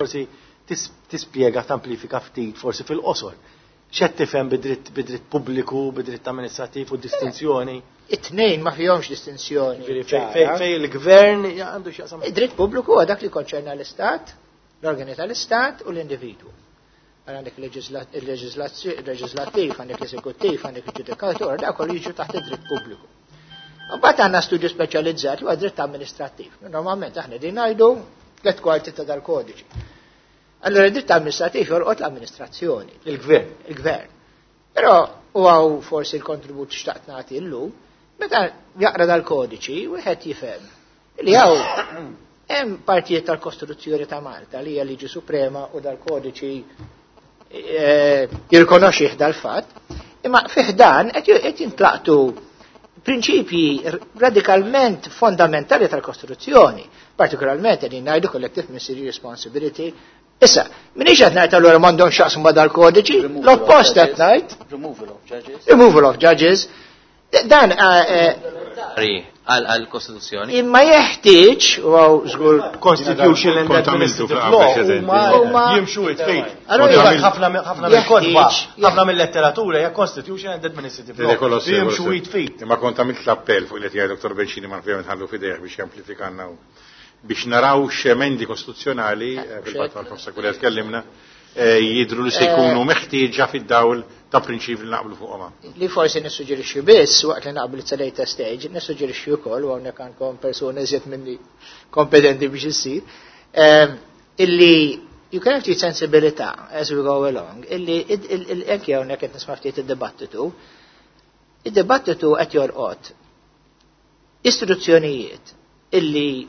Forsi tispjega, tamplifika ftit, forsi fil-qosor. X'qed tifhem bidritt pubbliku, bidritt amministrattiv u distinzjoni? It-tnejn ma fihomx distinzjoni. Ġifieri, ċara. fej il-gvern għandu x'jaqsam. Id-dritt pubbliku huwa dak li konċerna l-Istat, l-organi tal-Istat u l-individwu. Għal għandek il-leġislattiv, għandek l-eżekuttiv, għandek il-ġudikatur, dak kollu jiġu taħt id-dritt pubbliku. Mbagħad għandna studju speċjalizzat li huwa dritt amministrattiv. Normalment aħna din ngħidu tliet kwarti ta' dal-kodiċi. Allora id-dritt amministrattiv jolqot l-amministrazzjoni. Il-gvern. Il-gvern. Però u għaw forsi l-kontribut xtaqt nagħti llum, meta jaqra dal-kodiċi, wieħed jifhem li hawn hemm partijiet tal-Kostituzzjoni ta' Malta li hija liġi suprema u dal-kodiċi jirrikonoxxih dal-fatt, imma fih dan qed jintlaqtu prinċipji radikalment fondamentali tal-Kostituzzjoni, partikolarment qegħdin ngħidu collective ministerial responsibility. Issa, minix qed ngħid allura m'għandhomx x'jaqsmu ma' dal-kodiċi, Removal of l-oppost qed judges. ngħid. Removal of judges. Removal of judges. Dan Ri, għal-Kostituzzjoni. Imma jeħtieġ, u għaw żgur Constitution and Kont għamiltu Administrative fl-qafas Law preċedenti. huma jimxu it-fejt. Allora Ħafna jeħtieġ- mill-kotba, jeħtieġ- ħafna mill-letteratura hija Constitution and Administrative Dele Law. kolossi, Jimxu kolossi. it-fejt. Imma kont għamilt l-appell fuq li tiegħi Dr. Bencini ma nfjem nħallu fidejh biex jamplifikanna u. Biex naraw x'emendi kostituzzjonali, fil-fatt mal-professor Kulja tkellimna, jidru li se jkunu meħtieġa fid-dawl ta' prinċipji li naqblu fuqhom. Li forsi nissuġġerixxi biss waqt li naqblu it's a later stage, nissuġġerixxi wkoll u hawnhekk għandkom persuni iżjed minni kompetenti biex issir, illi you can have sensibilità as we go along, illi anke hawnhekk qed nisma' ftit id-dibattitu, id-dibattitu qed jolqot istituzzjonijiet illi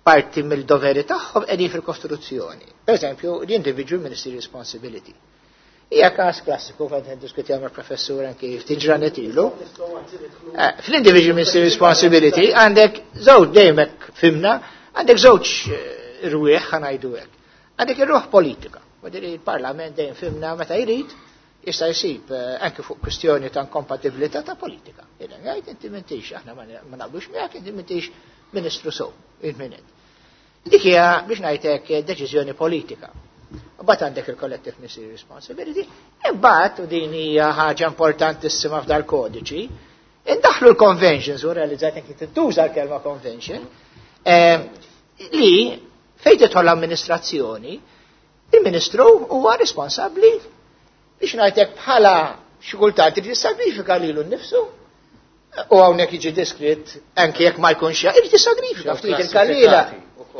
parti mill-doveri tagħhom qegħdin fil-Kostituzzjoni. Per eżempju, l-individual ministry responsibility. Hija każ klassiku kont niddiskutja mal-professur anki ftit ġranet ilu. Fl-individual ministry responsibility għandek żewġ dejjem hekk fimna, għandek żewġ rwieħ ħa ngħidu hekk. Għandek ir-ruħ politika. Wadiri il-Parlament dejjem fimna meta jrid jista' jsib anke fuq kwistjoni ta' inkompatibilità ta' politika. Jiena ngħid inti m'intix, aħna ma naqblux miegħek, inti m'intix ministru sew, il-minit. Dik hija biex ngħidlek deċiżjoni politika. Imbagħad għandek il-collective ministerial responsibility, imbagħad u din hija ħaġa importantissima f'dal kodiċi, indaħlu l-conventions u realizzajt anki tintuża l-kelma convention, li fejn tidħol l-amministrazzjoni, il-ministru huwa responsabbli biex ngħidlek bħala xi kultant irid jissagrifika lilu nnifsu. U hawnhekk jiġi diskrit anke jekk ma jkunx irid jissagrifika ftit il-karriera.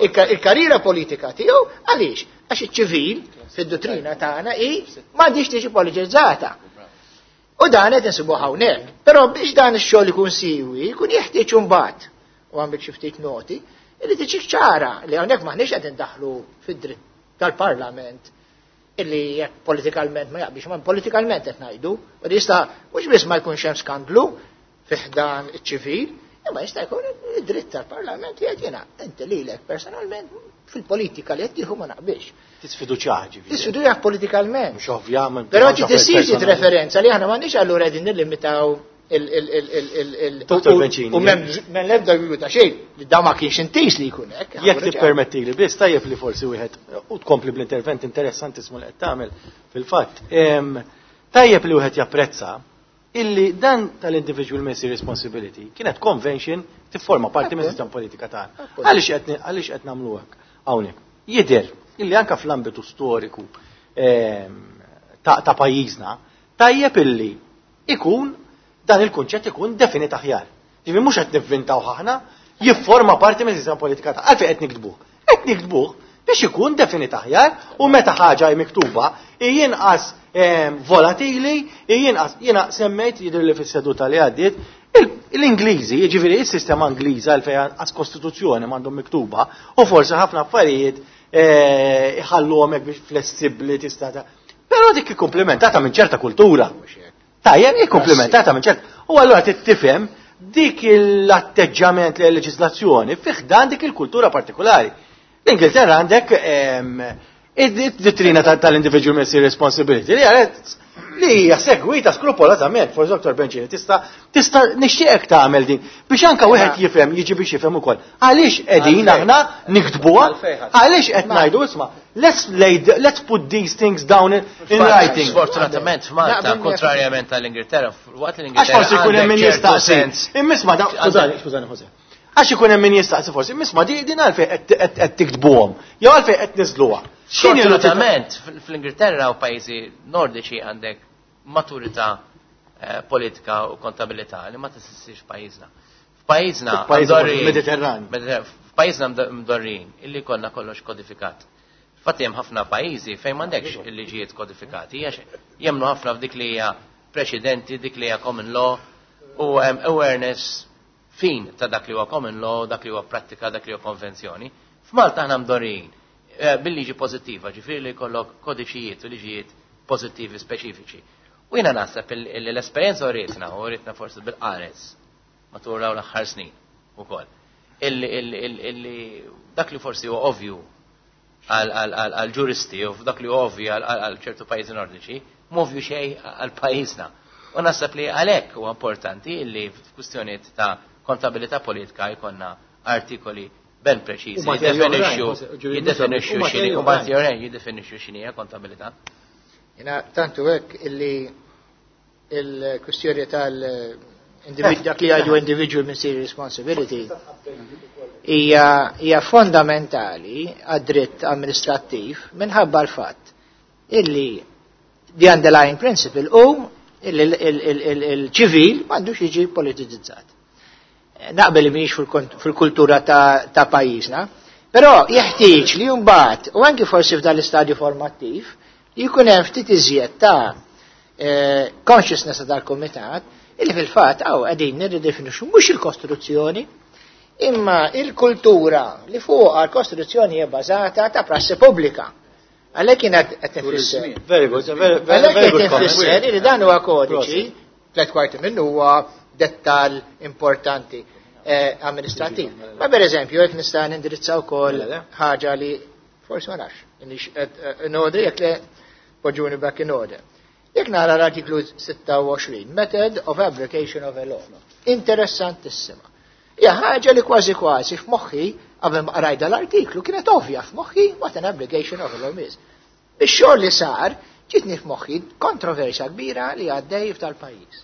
Il-karriera politika tiegħu għaliex? Għax iċ-ċivil fid-dottrina tagħna hi m'għandix tiġi politizzata. U dan qed insibuh hawnhekk. Però biex dan ix-xogħol ikun siwi, jkun jeħtieġ imbagħad, u għandek xi ftit noti, illi tiġi ċara li hawnhekk m'aħniex qed indaħlu fid-dritt tal-Parlament illi jekk politikalment ma jaqbix, ma politikalment qed ngħidu, u li jista' mhux biss ma jkunx hemm skandlu fi ħdan iċ-ċivil, imma jista' jkun id-dritt tal-Parlament li qed jiena inti lilek personalment fil-politika li qed tieħu ma naqbilx. Tisfiduċja ġifieri. Tisfiduċja politikalment. Mhux ovvja, ma Però mhux tissir personali. referenza li aħna m'għandniex allura qegħdin nillimitaw il Dottor Bencini, u m'hemm l-ebda dubju ta' xejn li da ma kienx intis li jkun hekk. Jekk tippermetti li biss tajjeb li forsi wieħed u tkompli bl-intervent interessantissmu li qed tagħmel fil-fatt. Tajjeb li wieħed japprezza illi dan tal-individual ministry responsibility kienet convention tifforma parti minn sistema politika tagħna. Għaliex qed nagħmlu hekk hawnhekk? Jidher illi anke fl-ambitu storiku ta' pajjiżna tajjeb illi ikun dan il-kunċett ikun definit aħjar. Ġifieri mhux qed nivvintaw aħna, jifforma parti minn sistema politika tagħna. Għalfejn qed niktbuh? Qed niktbuh biex ikun definit aħjar u meta ħaġa hi miktuba jinqas volatili, jinqas, jiena semmejt jidher li fis-seduta li għaddiet, l-Ingliżi, jiġifieri s-sistema Ingliża għalfejn għas kostituzzjoni m'għandhom miktuba u forsi ħafna affarijiet iħalluhom hekk biex flessibbli tista' ta' Però dik ikkumplimentata minn ċerta kultura. Tajjeb, ikkumplimentata minn ċerta. U allura tifhem dik l-atteġġament li l-leġiżlazzjoni fih dan dik il-kultura partikolari. L-Ingilterra għandek id-dottrina tal-individual ministry responsibility li għalet li hija segwita skrupolatament, forsi Dr. Bencini, tista' nixtieqek tagħmel din biex anke wieħed jifhem, jiġi biex jifhem ukoll. Għaliex qegħdin aħna niktbuha? Għaliex qed ngħidu isma' let's put these things down in writing. Sfortunatament f'Malta, kontrarjament tal-Ingilterra, waqt l-Ingilterra Għax forsi jkun hemm min għandek ċertu jistaqsi. sens. Imma da, skużani, skużani, Jose. Għax ikun hemm min jistaqsi forsi, imma din għalfejn qed tiktbuhom, jew għalfejn qed niżluha. X'inhi l-utilità? Sfortunatament, fl-Ingilterra u pajjiżi nordiċi għandek maturità politika u kontabilità li ma tesistix f'pajjiżna. F'pajjiżna F'pajjiżna mdorrin- Mediterran. F'pajjiżna mdorrin illi konna kollox kodifikat. Infatti hemm ħafna pajjiżi fejn m'għandekx il-liġijiet kodifikati, għax jemmnu ħafna f'dik li hija preċedenti, dik li hija common law u hemm awareness fin ta' dak li huwa common law, dak li huwa prattika, dak li huwa konvenzjoni. F'Malta aħna mdorrin bil-liġi pożittiva, ġifieri li jkollok kodiċijiet u liġijiet pożittivi speċifiċi. U jiena naħseb l-esperjenza urietna, u urietna forsi bil-qares matul dawn l-aħħar snin ukoll. Illi dak li forsi huwa ovvju għal ġuristi u dak li huwa ovvju għal ċertu pajjiżi nordiċi, m'ovvju xejn għal pajjiżna. U naħseb li għalhekk huwa importanti illi f'kwistjonijiet ta' kontabilità politika jkollna artikoli ben preċiżi, U materjali oħrajn, Jose, ġuri, jiddefinixxu u materjali x'inhi, u oħrajn. materjali jiddefinixxu x'inhi hija kontabilità. Jiena tantu hekk illi il-kwistjoni tal Dak li jgħidu individual ministerial responsibility hija fondamentali għad-dritt amministrattiv minħabba l-fatt illi the underlying principle hu illi il-ċivil m'għandux jiġi politizzat. Naqbel li mhijiex fil-kultura ta' pajjiżna, però jeħtieġ li mbagħad u anki forsi f'dan l-istadju formattiv jkun hemm ftit iżjed ta' consciousness tal-kumitat illi fil-fatt hawn qegħdin nirridefinixxu mhux il-Kostituzzjoni imma il-kultura li fuqha l-Kostituzzjoni hija bbażata ta' prassi pubblika. Għalhekk kien qed nfisser. Very good, very, very, very good comment. Nfisser li dan huwa kodiċi, 3/4 minnu huwa dettal importanti amministrativ. Ma per eżempju, jekk nista' nindirizza wkoll ħaġa li forsi ma nafx, in order jekk le poġġuni back in order. Jekk nara l-artiklu 26, Method of Application of a Law. Interessantissima. Hija ħaġa li kważi kważi f'moħħi qabel ma qrajda l-artiklu kienet ovvja f'moħħi what an application of a law is. Bix-xogħol li sar ġitni f'moħħi kontroversja kbira li għaddej f'tal-pajjiż.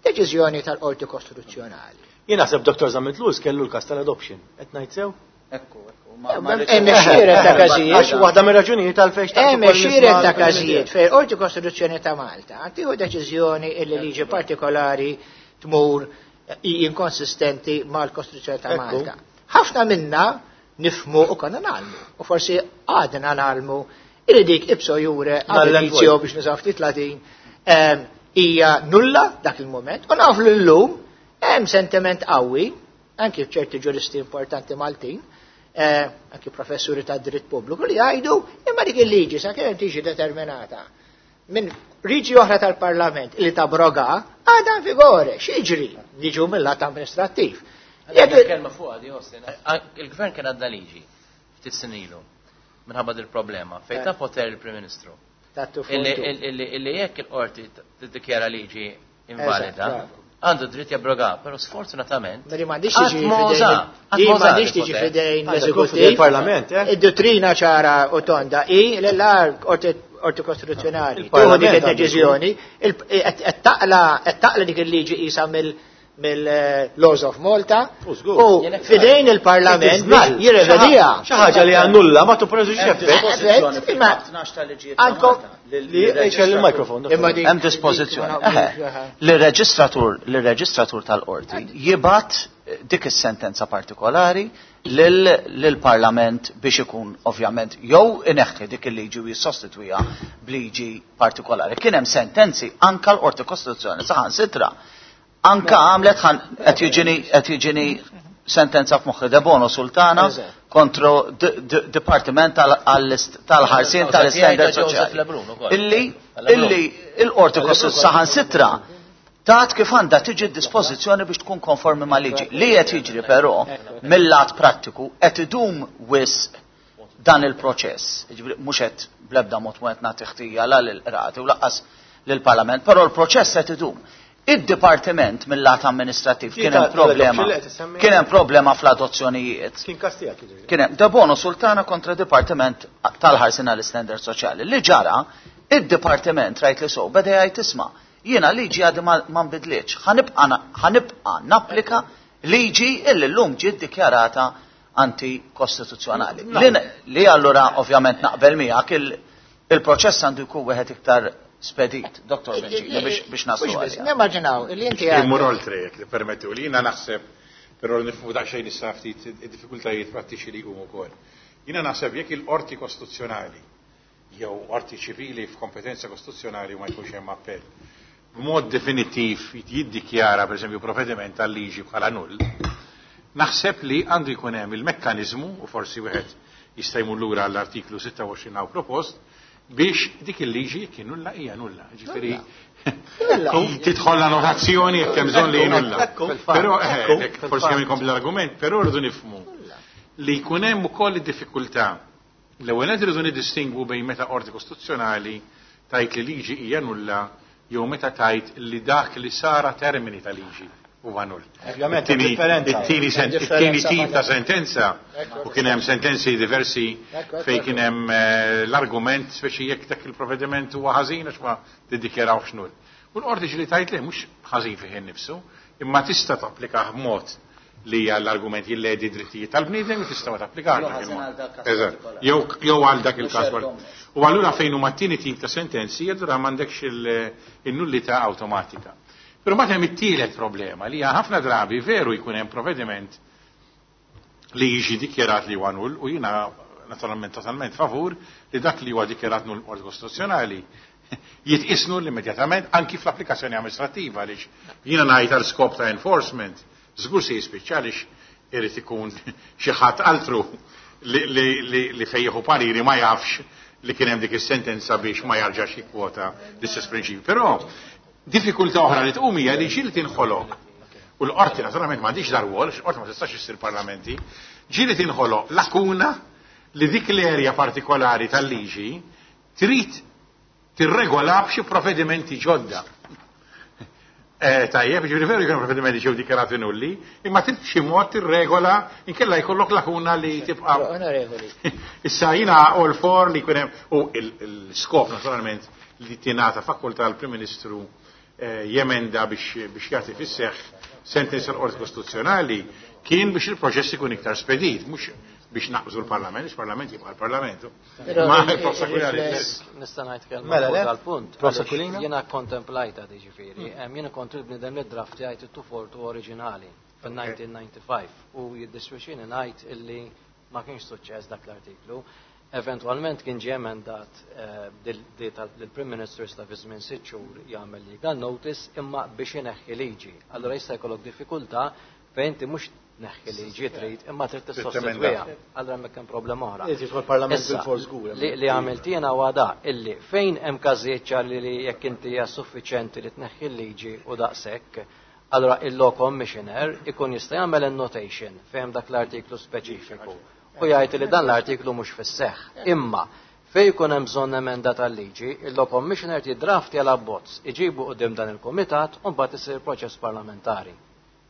Deċiżjoni tal-Qorti Kostituzzjonali. Jien naħseb Dr. Zammit Lewis kellu l-każ tal-adoption. Qed ngħid sew? Ekku, ekku. Hemm għexieren ta' każijiet. Għax waħda mir-raġunijiet għalfejn xtaqt Hemm għexieren ta' każijiet fejn Qorti Kostituzzjoni ta' Malta tieħu deċiżjoni illi liġi partikolari tmur inkonsistenti mal-Kostituzzjoni ta' Malta. Ħafna minna nifmu u konna nagħlmu, u forsi għadna nagħlmu illi dik ipso jure ab initio biex nużaw ftit Latin hija nulla dak il-moment, u nafu li llum hemm sentiment qawwi anki ċerti ġuristi importanti Maltin, anki professuri ta' dritt pubbliku li jgħidu imma dik il-liġi sa kemm tiġi determinata minn liġi oħra tal-Parlament li tabroga għadha in vigore, x'jiġri? Niġu mill-lat amministrattiv. Kelma fuq għadi, Austin, il-gvern kien għadda liġi ftit snin ilu minħabba dil-problema fejn ta' poter il-Prim Ministru. Illi jekk il-qorti tiddikjara liġi invalida, għandu dritt jabroga, però sfortunatament. Meri m'għandix tiġi fidejn. tiġi fidejn l-eżekutiv. Il-Parlament, eh? Id-dottrina ċara u tonda i l-lar qorti kostituzzjonali. Tieħu dik id-deċiżjoni, qed taqla dik il-liġi qisha mill-Laws of Malta u fidejn il-Parlament jirrevedija. Xi ħaġa li annulla ma tipproduċix effett. Imma għandkom li il-mikrofon. Hemm dispożizzjoni. L-reġistratur tal-qorti jibgħat dik is-sentenza partikolari lill-Parlament biex ikun ovvjament jew ineħħi dik il-liġi u jissostitwiha b'liġi partikolari. Kien hemm sentenzi anka l-Qorti Kostituzzjoni saħansitra anka għamlet qed jiġini sentenza f'moħħi De Bono Sultana kontra Dipartiment tal-ħarsien tal-Standard Soċjali. Illi illi il-Qorti Kostituzzjoni saħansitra tat kif għandha tiġi dispożizzjoni biex tkun konformi ma' liġi. Li qed jiġri però mill-lat prattiku qed idum wisq dan il-proċess. Mhux qed bl-ebda mod ma qed nagħti ħtija la lill-qrati u lanqas lill-Parlament, però l-proċess qed idum. Id-dipartiment mill-lat amministrativ kien hemm problema. Kien hemm problema fl-adozzjonijiet. Kien każ tiegħek. Kien hemm De Bono Sultana kontra Dipartiment tal-ħarsien għall-Standard Soċjali. Li ġara, id-dipartiment rajt li so beda jgħid isma' jiena liġi għadi ma nbidlitx, ħa nibqa' napplika liġi illi llum ġiet dikjarata antikostituzzjonali. Li allura ovvjament naqbel miegħek il-proċess għandu jkun wieħed iktar spedit, Dr. Bencini, biex naslu għalija. Nimmaġinaw, li inti Immur oltre, jekk permettu li jiena naħseb, però nifhmu daqsxejn issa ftit id-diffikultajiet prattiċi li jqumu wkoll. Jiena naħseb jekk il-qorti kostituzzjonali jew qorti ċivili f'kompetenza kostituzzjonali ma jkunx hemm appell. B'mod definittiv jiddikjara pereżempju provvediment tal-liġi bħala null, naħseb li għandu jkun hemm il-mekkaniżmu u forsi wieħed jista' jmur lura għall-artiklu 26 hawn propost biex dik il-liġi kien nulla hija nulla. Ġifieri tidħol la notazzjoni jekk hemm bżonn li nulla. Però forsi kemm inkompli l-argument, però rridu nifhmu li jkun hemm ukoll id-diffikultà. L-ewwel qed irridu niddistingwu bejn meta qorti kostituzzjonali tajt li liġi hija nulla jew meta tajt li dak li sara termini ta' liġi huwa null. Ovvjament, differenza. It-tieni tip ta' sentenza u kien hemm sentenzi diversi fejn kien hemm l-argument speċi jekk dak il-provvediment huwa ħażin għax ma tiddikjarawx null. U l-qorti ġili tajt li mhux ħażin fih innifsu, Imma tista' tapplikah b'mod li hija l-argument jilledi drittijiet tal-bniedem u tista' ma tapplikax. Jew ħażin għal dak każ Eżatt. partikolari. Jew għal dak il-każ. Mhux erga omnes. U allura fejn huma t-tieni tip ta' sentenzi, allura m'għandekx il-nullità awtomatika. Però mbagħad hemm it-tielet problema li hija ħafna drabi veru jkun hemm provvediment li jiġi dikjerat li huwa null u jiena naturalment totalment favur li dak li huwa dikjerat null qorti kostituzzjonali jitqis null immedjatament anki fl-applikazzjoni amministrattiva għaliex jiena ngħid għal skop ta' enforcement żgur se jispiċċa għaliex irid ikun xi ħadd altru li fejn jieħu pariri ma jafx li kien hemm dik is-sentenza biex ma jarġax jikkwota l-istess prinċipju. Però diffikultà oħra li tqum hija li ġieli tinħoloq u l-qorti naturalment m'għandix dar-rwol, għax il-qorti ma tistax issir parlamenti, ġieli tinħoloq lakuna li dik l-erja partikolari tal-liġi trid tirregola b'xi provvedimenti ġodda. Tajjeb, ġifieri veru jkunu provvedimenti ġew dikjarati nulli, imma trid b'xi mod tirregola inkella jkollok lakuna li tibqa'. Però, onorevoli. Issa jiena all for li jkun hemm u l-skop naturalment li tingħata fakultà l-Prim Ministru jemenda biex jagħti fis-seħħ sentenza l-Qorti Kostituzzjonali kien biex il-proċess ikun iktar spedit, mhux biex naqbżu l-Parlament, biex il-Parlament jibqa' l-Parlament. Però Ma Prof. Aquilina, Nista' ngħid kelma Mela, fuq le? dal-punt. Prof. Għaliex Aquilina? Jiena kontemplajta ġifieri. Jiena kont il-bniedem li draft jgħid it-242 oriġinali fil-1995 u jiddispjaċini ngħid illi ma kienx suċċess dak l-artiklu. Eventualment kien ġie emendat il-Prim Ministru jista' fi żmien 6 xhur jagħmel legal notice imma biex ineħħi liġi. Allura jista' jkollok diffikultà fejn inti mhux tneħħi liġi trid imma trid tissostitwiha. Allura hemmhekk hemm problema oħra. Irid jidħol Parlament Issa, bil-fors żgur, hemm. li għamilt jiena huwa da illi fejn hemm każijiet ċar li jekk inti hija suffiċjenti li tneħħi l-liġi u daqshekk, allura il-law commissioner ikun jista' jagħmel annotation fejn dak l-artiklu speċifiku u jgħid li dan l-artiklu mhux fis-seħħ. Imma fejn jkun hemm bżonn emenda tal-liġi, il-law commissioner jiddrafti għal abbozz, iġibu quddiem dan il-kumitat u mbagħad isir proċess parlamentari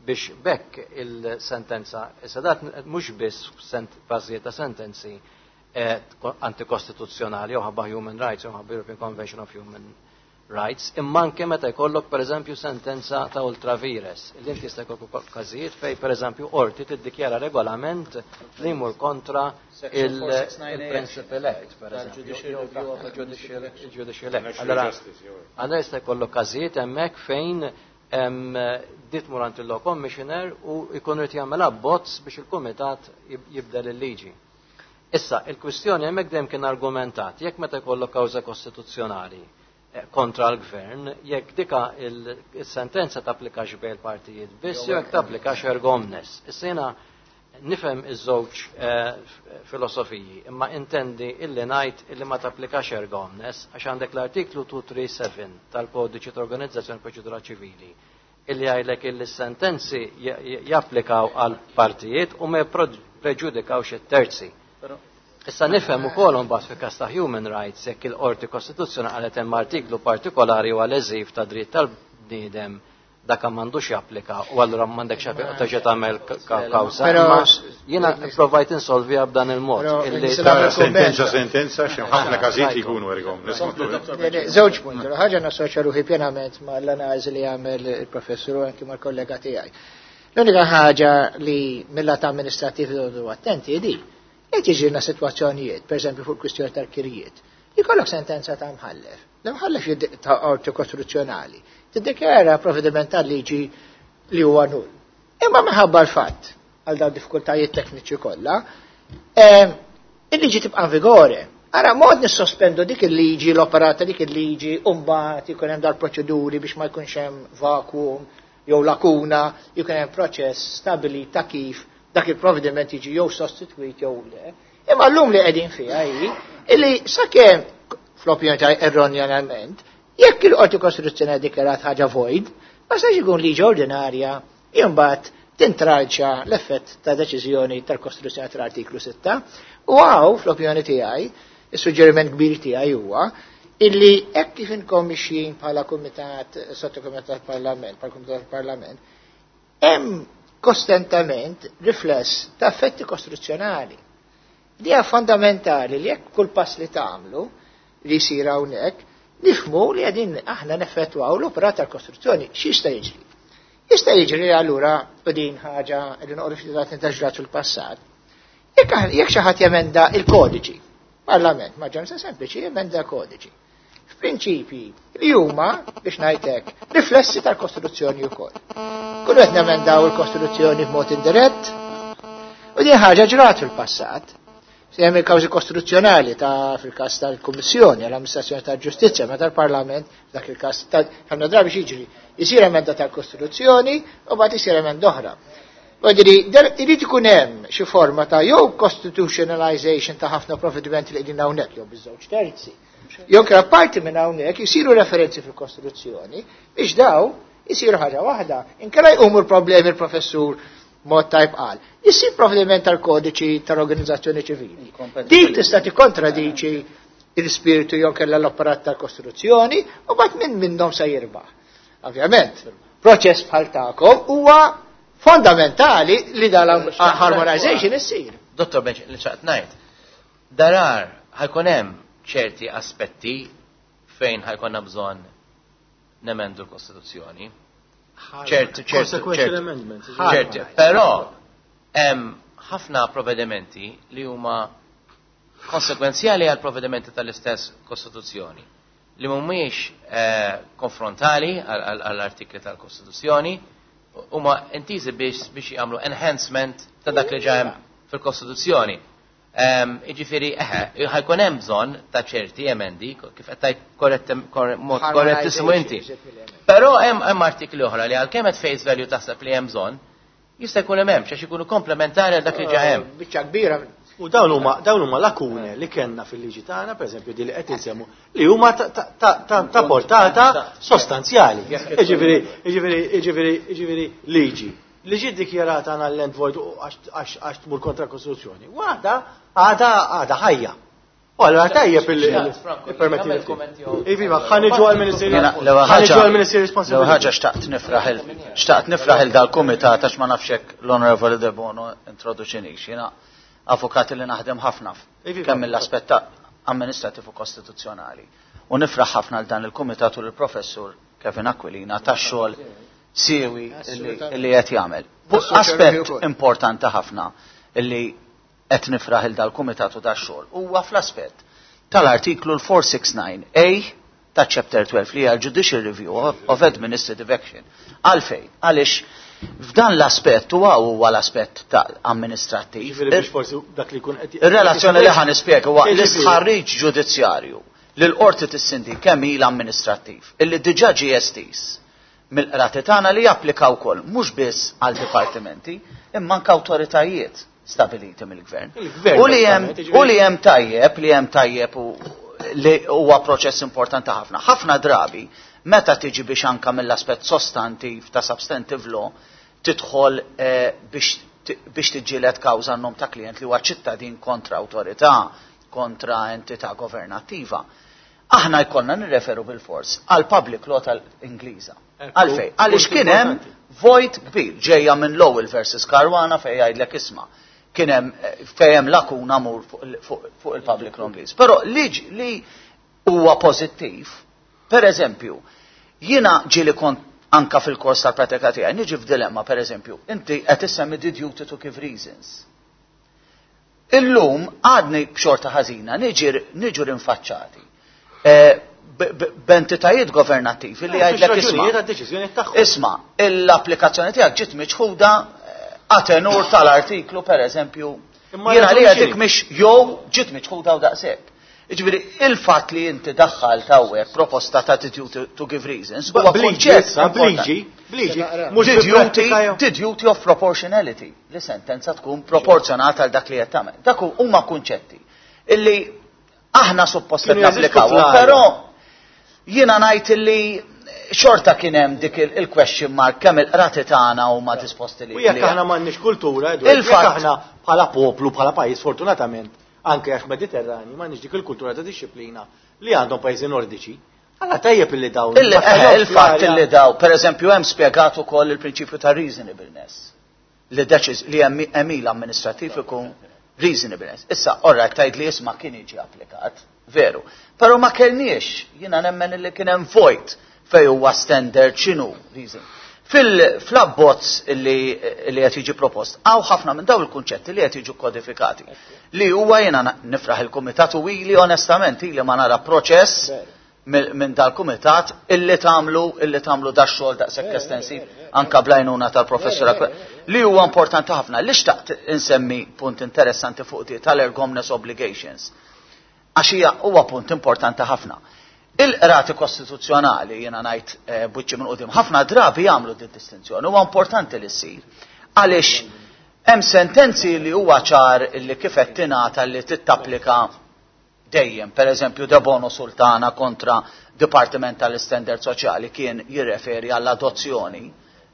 biex bekk il-sentenza, issa dat mhux biss bażijiet ta' sentenzi antikostituzzjonali jew ħabba Human Rights jew ħabba European Convention of Human Rights, imma anke meta jkollok pereżempju sentenza ta' ultra vires, li inti jista' jkollok ukoll każijiet fejn pereżempju qorti tiddikjara regolament li jmur kontra Section 469A il-Principal Act, pereżempju, tal-Judicial jew Review of Judicial Act. National Allora, Justice, jew. allora jista' jkollok każijiet hemmhekk fejn dit mur għand il-Law Commissioner u jkun irid jagħmel abbozz biex il-kumitat jibdel il-liġi. Issa, il-kwistjoni hemmhekk dejjem kien argumentat, jekk meta jkollok kawża kostituzzjonali kontra l-gvern, jekk dika il-sentenza tapplikax bejn il-partijiet biss, jew jekk tapplikax erga omnes. Issa jiena nifhem iż-żewġ filosofiji, imma intendi illi ngħid illi ma tapplikax erga omnes għax għandek l-artiklu 237 tal-Kodiċi ta' Organizzazzjoni Proċedura Ċivili illi jgħidlek illi s-sentenzi japplikaw għal partijiet u ma preġudikawx it-terzi. Issa nifhem ukoll imbagħad fi każ ta' human rights jekk il-Qorti Kostituzzjonali qalet hemm artiklu partikolari u għal ta' dritt tal-bniedem dak m'għandux japplika u allura m'għandekx terġa' tagħmel kawża. Però Imma jiena provajt insolviha b'dan il-mod. Però illi nista' nagħmel Sentenza, kumment. sentenza, x'hemm ħafna każijiet li jkunu erga omnes. Le, le, żewġ punti. Ħaġa nassoċja ruħi pjenament mal-analiżi li għamel il-professur u anki mal-kollega tiegħi. L-unika ħaġa li mill-lat amministrativ irridu attenti di, jekk jiġrilna sitwazzjonijiet, pereżempju fuq kwistjoni tal-kirjiet, jkollok sentenza ta' mħallef. L-imħallef ta' qorti kostituzzjonali tiddikjara provvediment tal-liġi li huwa null. Imma minħabba l-fatt għal dawn diffikultajiet tekniċi kollha, il-liġi tibqa' in vigore. Ara, mod nissospendu dik il-liġi, l-operata dik il-liġi, u mbagħad ikun hemm dal-proċeduri biex ma jkunx hemm vacuum jew lakuna, jkun hemm proċess stabili ta' kif dak il-provvediment jiġi jew sostitwit jew le. Imma llum li qegħdin fiha hi illi sakemm fl-opinjoni tiegħi erroneament, jekk il-Qorti Kostituzzjonali dikjarat ħaġa void, ma stax ikun liġi ordinarja imbagħad tintralċa l-effett ta' deċiżjoni tal-Kostituzzjoni tal-artiklu 6. U hawn fl-opinjoni tiegħi, is-suġġeriment kbir tiegħi huwa illi hekk kif inkom mixjin bħala kumitat sottokumitat parlament, bħala kumitat parlament, hemm kostantament rifless ta' effetti kostituzzjonali. Di hija fondamentali li jekk kull pass li tagħmlu li jsir hawnhekk, nifhmu li qegħdin aħna neffettwaw l-operat tal-Kostituzzjoni. X'jista' jiġri? Jista' jiġri allura u din ħaġa li noqogħdu ftit ġrat fil-passat. Jekk xi ħadd jemenda il-kodiċi, Parlament, maġġoranza sempliċi jemenda kodiċi. F'prinċipji li huma biex ngħidlek riflessi tal-Kostituzzjoni wkoll. Kullu qed nemendaw il-Kostituzzjoni b'mod indirett u din ħaġa ġrat fil-passat. Se hemm il-kawżi kostituzzjonali ta' fil-każ tal-Kummissjoni għall-Amministrazzjoni tal-Ġustizzja meta l-Parlament dak il-każ ħafna drabi jiġri jsir emenda tal-Kostituzzjoni u mbagħad isir emenda oħra. Vodiri, irid ikun hemm xi forma ta' jew constitutionalization ta' ħafna provvedimenti li qegħdin hawnhekk jew biż-żewġ terzi. Jew kera parti minn hawnhekk isiru referenzi fil-Kostituzzjoni biex daw isiru ħaġa waħda. Inkella jqumu l-problemi l-professur mod tajb qal. Isir provvediment tal-kodiċi tal-organizzazzjoni ċivili. Dik tista' tikkontradiċi l-ispirtu jew kellha l-operat tal-Kostituzzjoni u mbagħad minn minnhom se jirbaħ. Ovvjament, proċess bħal tagħkom huwa fondamentali li dal-harmonization issir. Dottor Benċ, li xaqt ngħid, darar ħajkun hemm ċerti aspetti fejn ħajkonna bżonn nemendu l-Kostituzzjoni. ċerti, ċerti, ċerti, però hemm ħafna provvedimenti li huma konsekwenzjali għal provvedimenti tal-istess Kostituzzjoni li mhumiex konfrontali għall-artikli tal-Kostituzzjoni huma intiżi biex jagħmlu enhancement ta' dak li ġa hemm fil-Kostituzzjoni. Jiġifieri, eħe, ħajkun hemm bżonn ta' ċerti emendi, kif qed tgħid mod korrettissimo inti. Però hemm artikli oħra li għalkemm qed face value taħseb li hemm bżonn, jista' jkun hemm għax ikunu komplementari għal dak li ġa hemm. Biċċa kbira. U dawn huma lakune li kellna fil-liġi tagħna, pereżempju di li qed insemmu, li huma ta' portata sostanzjali. Jiġifieri liġi. Li ġiet dikjarata null and void għax tmur kontra l-Kostituzzjoni. Waħda għadha ħajja. U allura tajjeb il-permetti. Iva, ħa niġu għall-Ministeri responsibbli. L-ewwel ħaġa xtaqt nifraħ il dal-kumitat għax ma nafx hekk l-Onorevoli De Bono introduċinix. Jiena avukati li naħdem ħafna kemm mill-aspett amministrativ u kostituzzjonali. U nifraħ ħafna għal dan il-kumitat u l-professur Kevin Aquilina tax-xogħol siewi li qed jagħmel. Aspett importanti ħafna li qed nifraħ il dal-kumitat u dax-xogħol huwa fl-aspett tal-artiklu l-469A ta' Chapter 12 li hija l-Judicial Review of Administrative Action. Għalfejn, għaliex f'dan l-aspett huwa l-aspett ta' amministrattiv. Ir-relazzjoni li ħa nispjega huwa l-istħarriġ ġudizzjarju li l-qorti tissindi kemm il amministrattiv illi diġà ġie estiż mill-qrati tagħna li japplika wkoll mhux biss għal dipartimenti imma anke awtoritajiet stabiliti mill-gvern. U li hemm tajjeb, li hemm tajjeb u li huwa proċess importanti ħafna. Ħafna drabi meta tiġi biex anka mill-aspett sostantiv ta' substantive law tidħol biex tiġġieled kawża nom ta' klient li huwa ċittadin kontra awtorità, kontra entità governattiva. Aħna jkollna nirreferu bil-fors għal public law tal-Ingliża. Għalfej, għaliex kien hemm void kbir ġejja minn Lowell versus Caruana fejn jgħidlek isma' kien hemm fejn hemm lakuna mur fuq il-public law Ingliż. Però li huwa pożittiv, per eżempju, jiena ġieli kont anka fil-kors tal-pratika tiegħi niġi f'dilemma, per eżempju, inti qed issemmi the duty to give reasons. Illum għadni b'xorta ħażina niġu rinfaċċati b'entitajiet governattivi li jgħidlek isma'. Isma', l-applikazzjoni tiegħek ġiet miċħuda għatenur tal-artiklu, per eżempju, jiena li dik mhix jew ġiet miċħuda u daqshekk. Jiġifieri il-fatt li inti daħħal tawwek proposta ta' duty to give reasons huwa kunċett bliġi, bliġi, the duty of proportionality, li sentenza tkun proporzjonata għal dak li qed tagħmel. Dak huma kunċetti illi aħna suppost qed napplikaw, però jiena ngħid illi xorta kien hemm dik il-question mark kemm il-qrati tagħna huma disposti li. U jekk aħna m'għandniex kultura, jekk aħna bħala poplu, bħala pajjiż fortunatament, anke għax Mediterrani, m'għandniex dik il-kultura ta' disciplina li għandhom pajjiżi nordiċi. Alla tajjeb illi dawn. Il-fatt illi daw, per eżempju, hemm spjegat ukoll il-prinċipju ta' reasonableness. Li deċiż li hemm emil amministrattiv ikun reasonableness. Issa, orra tajt li isma' kien jiġi applikat, veru. Però ma kellniex, jiena nemmen illi kien hemm void fej huwa standard x'inhu reason. Fil-abbozz li qed jiġi propost, hawn ħafna minn dawn il-kunċetti li qed jiġu kodifikati. Li huwa jiena nifraħ il-kumitat u ili onestament ili ma nara proċess minn dal-kumitat illi tagħmlu illi tagħmlu da xogħol daqshekk estensiv anka bl-għajnuna tal-professur li huwa importanti ħafna. Li xtaqt insemmi punt interessanti fuq di tal-erga omnes obligations. Għax hija huwa punt importanti ħafna. Il-qrati kostituzzjonali, jiena ngħid b'wiċċi minn quddiem, ħafna drabi jagħmlu di distinzjoni, huwa importanti li ssir. Għaliex hemm sentenzi li huwa ċar li kif qed tingħata li tittapplika dejjem, per eżempju Debono Sultana kontra Dipartiment tal-Istandard Soċjali kien jirreferi għall-adozzjoni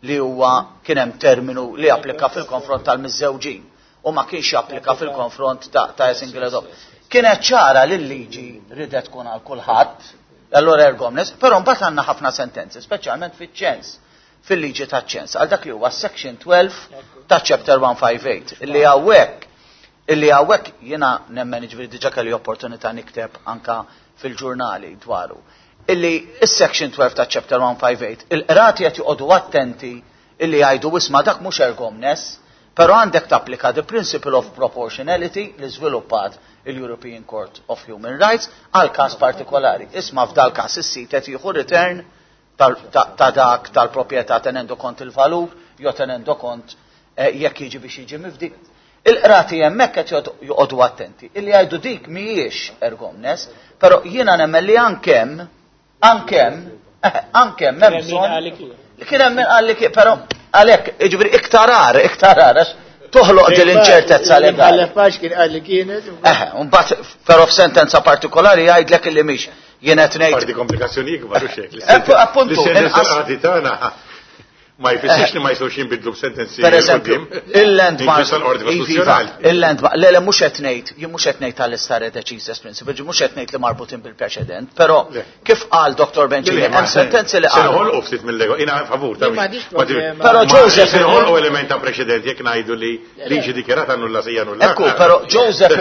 li huwa kien hemm terminu li applika fil-konfront tal-miżżewġin u ma kienx japplika fil-konfront ta' single adopt. Kienet ċara li l-liġi ridet tkun għal kulħadd, allura erga omnes, però mbagħad għandna ħafna sentenzi, speċjalment fiċ-ċens, fil-liġi ta' ċens, għal dak li huwa section 12 ta' chapter 158, illi hawnhekk jiena nemmen, ġifieri diġà kelli opportunità nikteb anka fil-ġurnali dwaru. Illi is-section 12 ta' chapter 158, il-qrati qed joqogħdu attenti illi jgħidu isma' dak mhux erga omnes, però għandek tapplika the principle of proportionality li żviluppat il-European Court of Human Rights għal każ partikolari. Isma' f'dal każ is-sit qed jieħu return ta' dak tal-proprjetà tenendo kont il-valur, jew tenendo kont jekk jiġi biex jiġi mifdi. Il-qrati hemmhekk qed joqogħdu attenti. Illi jgħidu dik mhijiex erga omnes, però jiena nemmen li ankemm hemm bżonn li kien hemm min qal li kien, però għalhekk, jiġifieri iktar għar, għax toħloq din l-inċertezza legali. Għal kien qal li kienet. Mbagħad però f'sentenza partikolari jgħidlek illi mhix. Jien qed ngħid. Parti komplikazzjoni ikbar u xek. Appuntu, Li-sentenzi qrati tagħna ma jfissirx li ma jistgħux jinbidlu b'sentenzi. Per eżempju, il-landmark. Inkluż l-Qorti Iva, Kostituzzjonali. Il-landmark, le, mhux qed ngħid, jien mhux qed ngħid tal-stare decisis principle, mhux qed ngħid li marbutin bil-preċedent, però Le. kif qal Dr. Bencini, hemm sentenzi li Se qal. noħolqu ftit mill-lego, jiena favur ta' Jien m'għandix problema. Però Joseph Se noħolqu element ta' preċedent jekk ngħidu li liġi dikjarata nulla sija nulla. Ekku, però Joseph,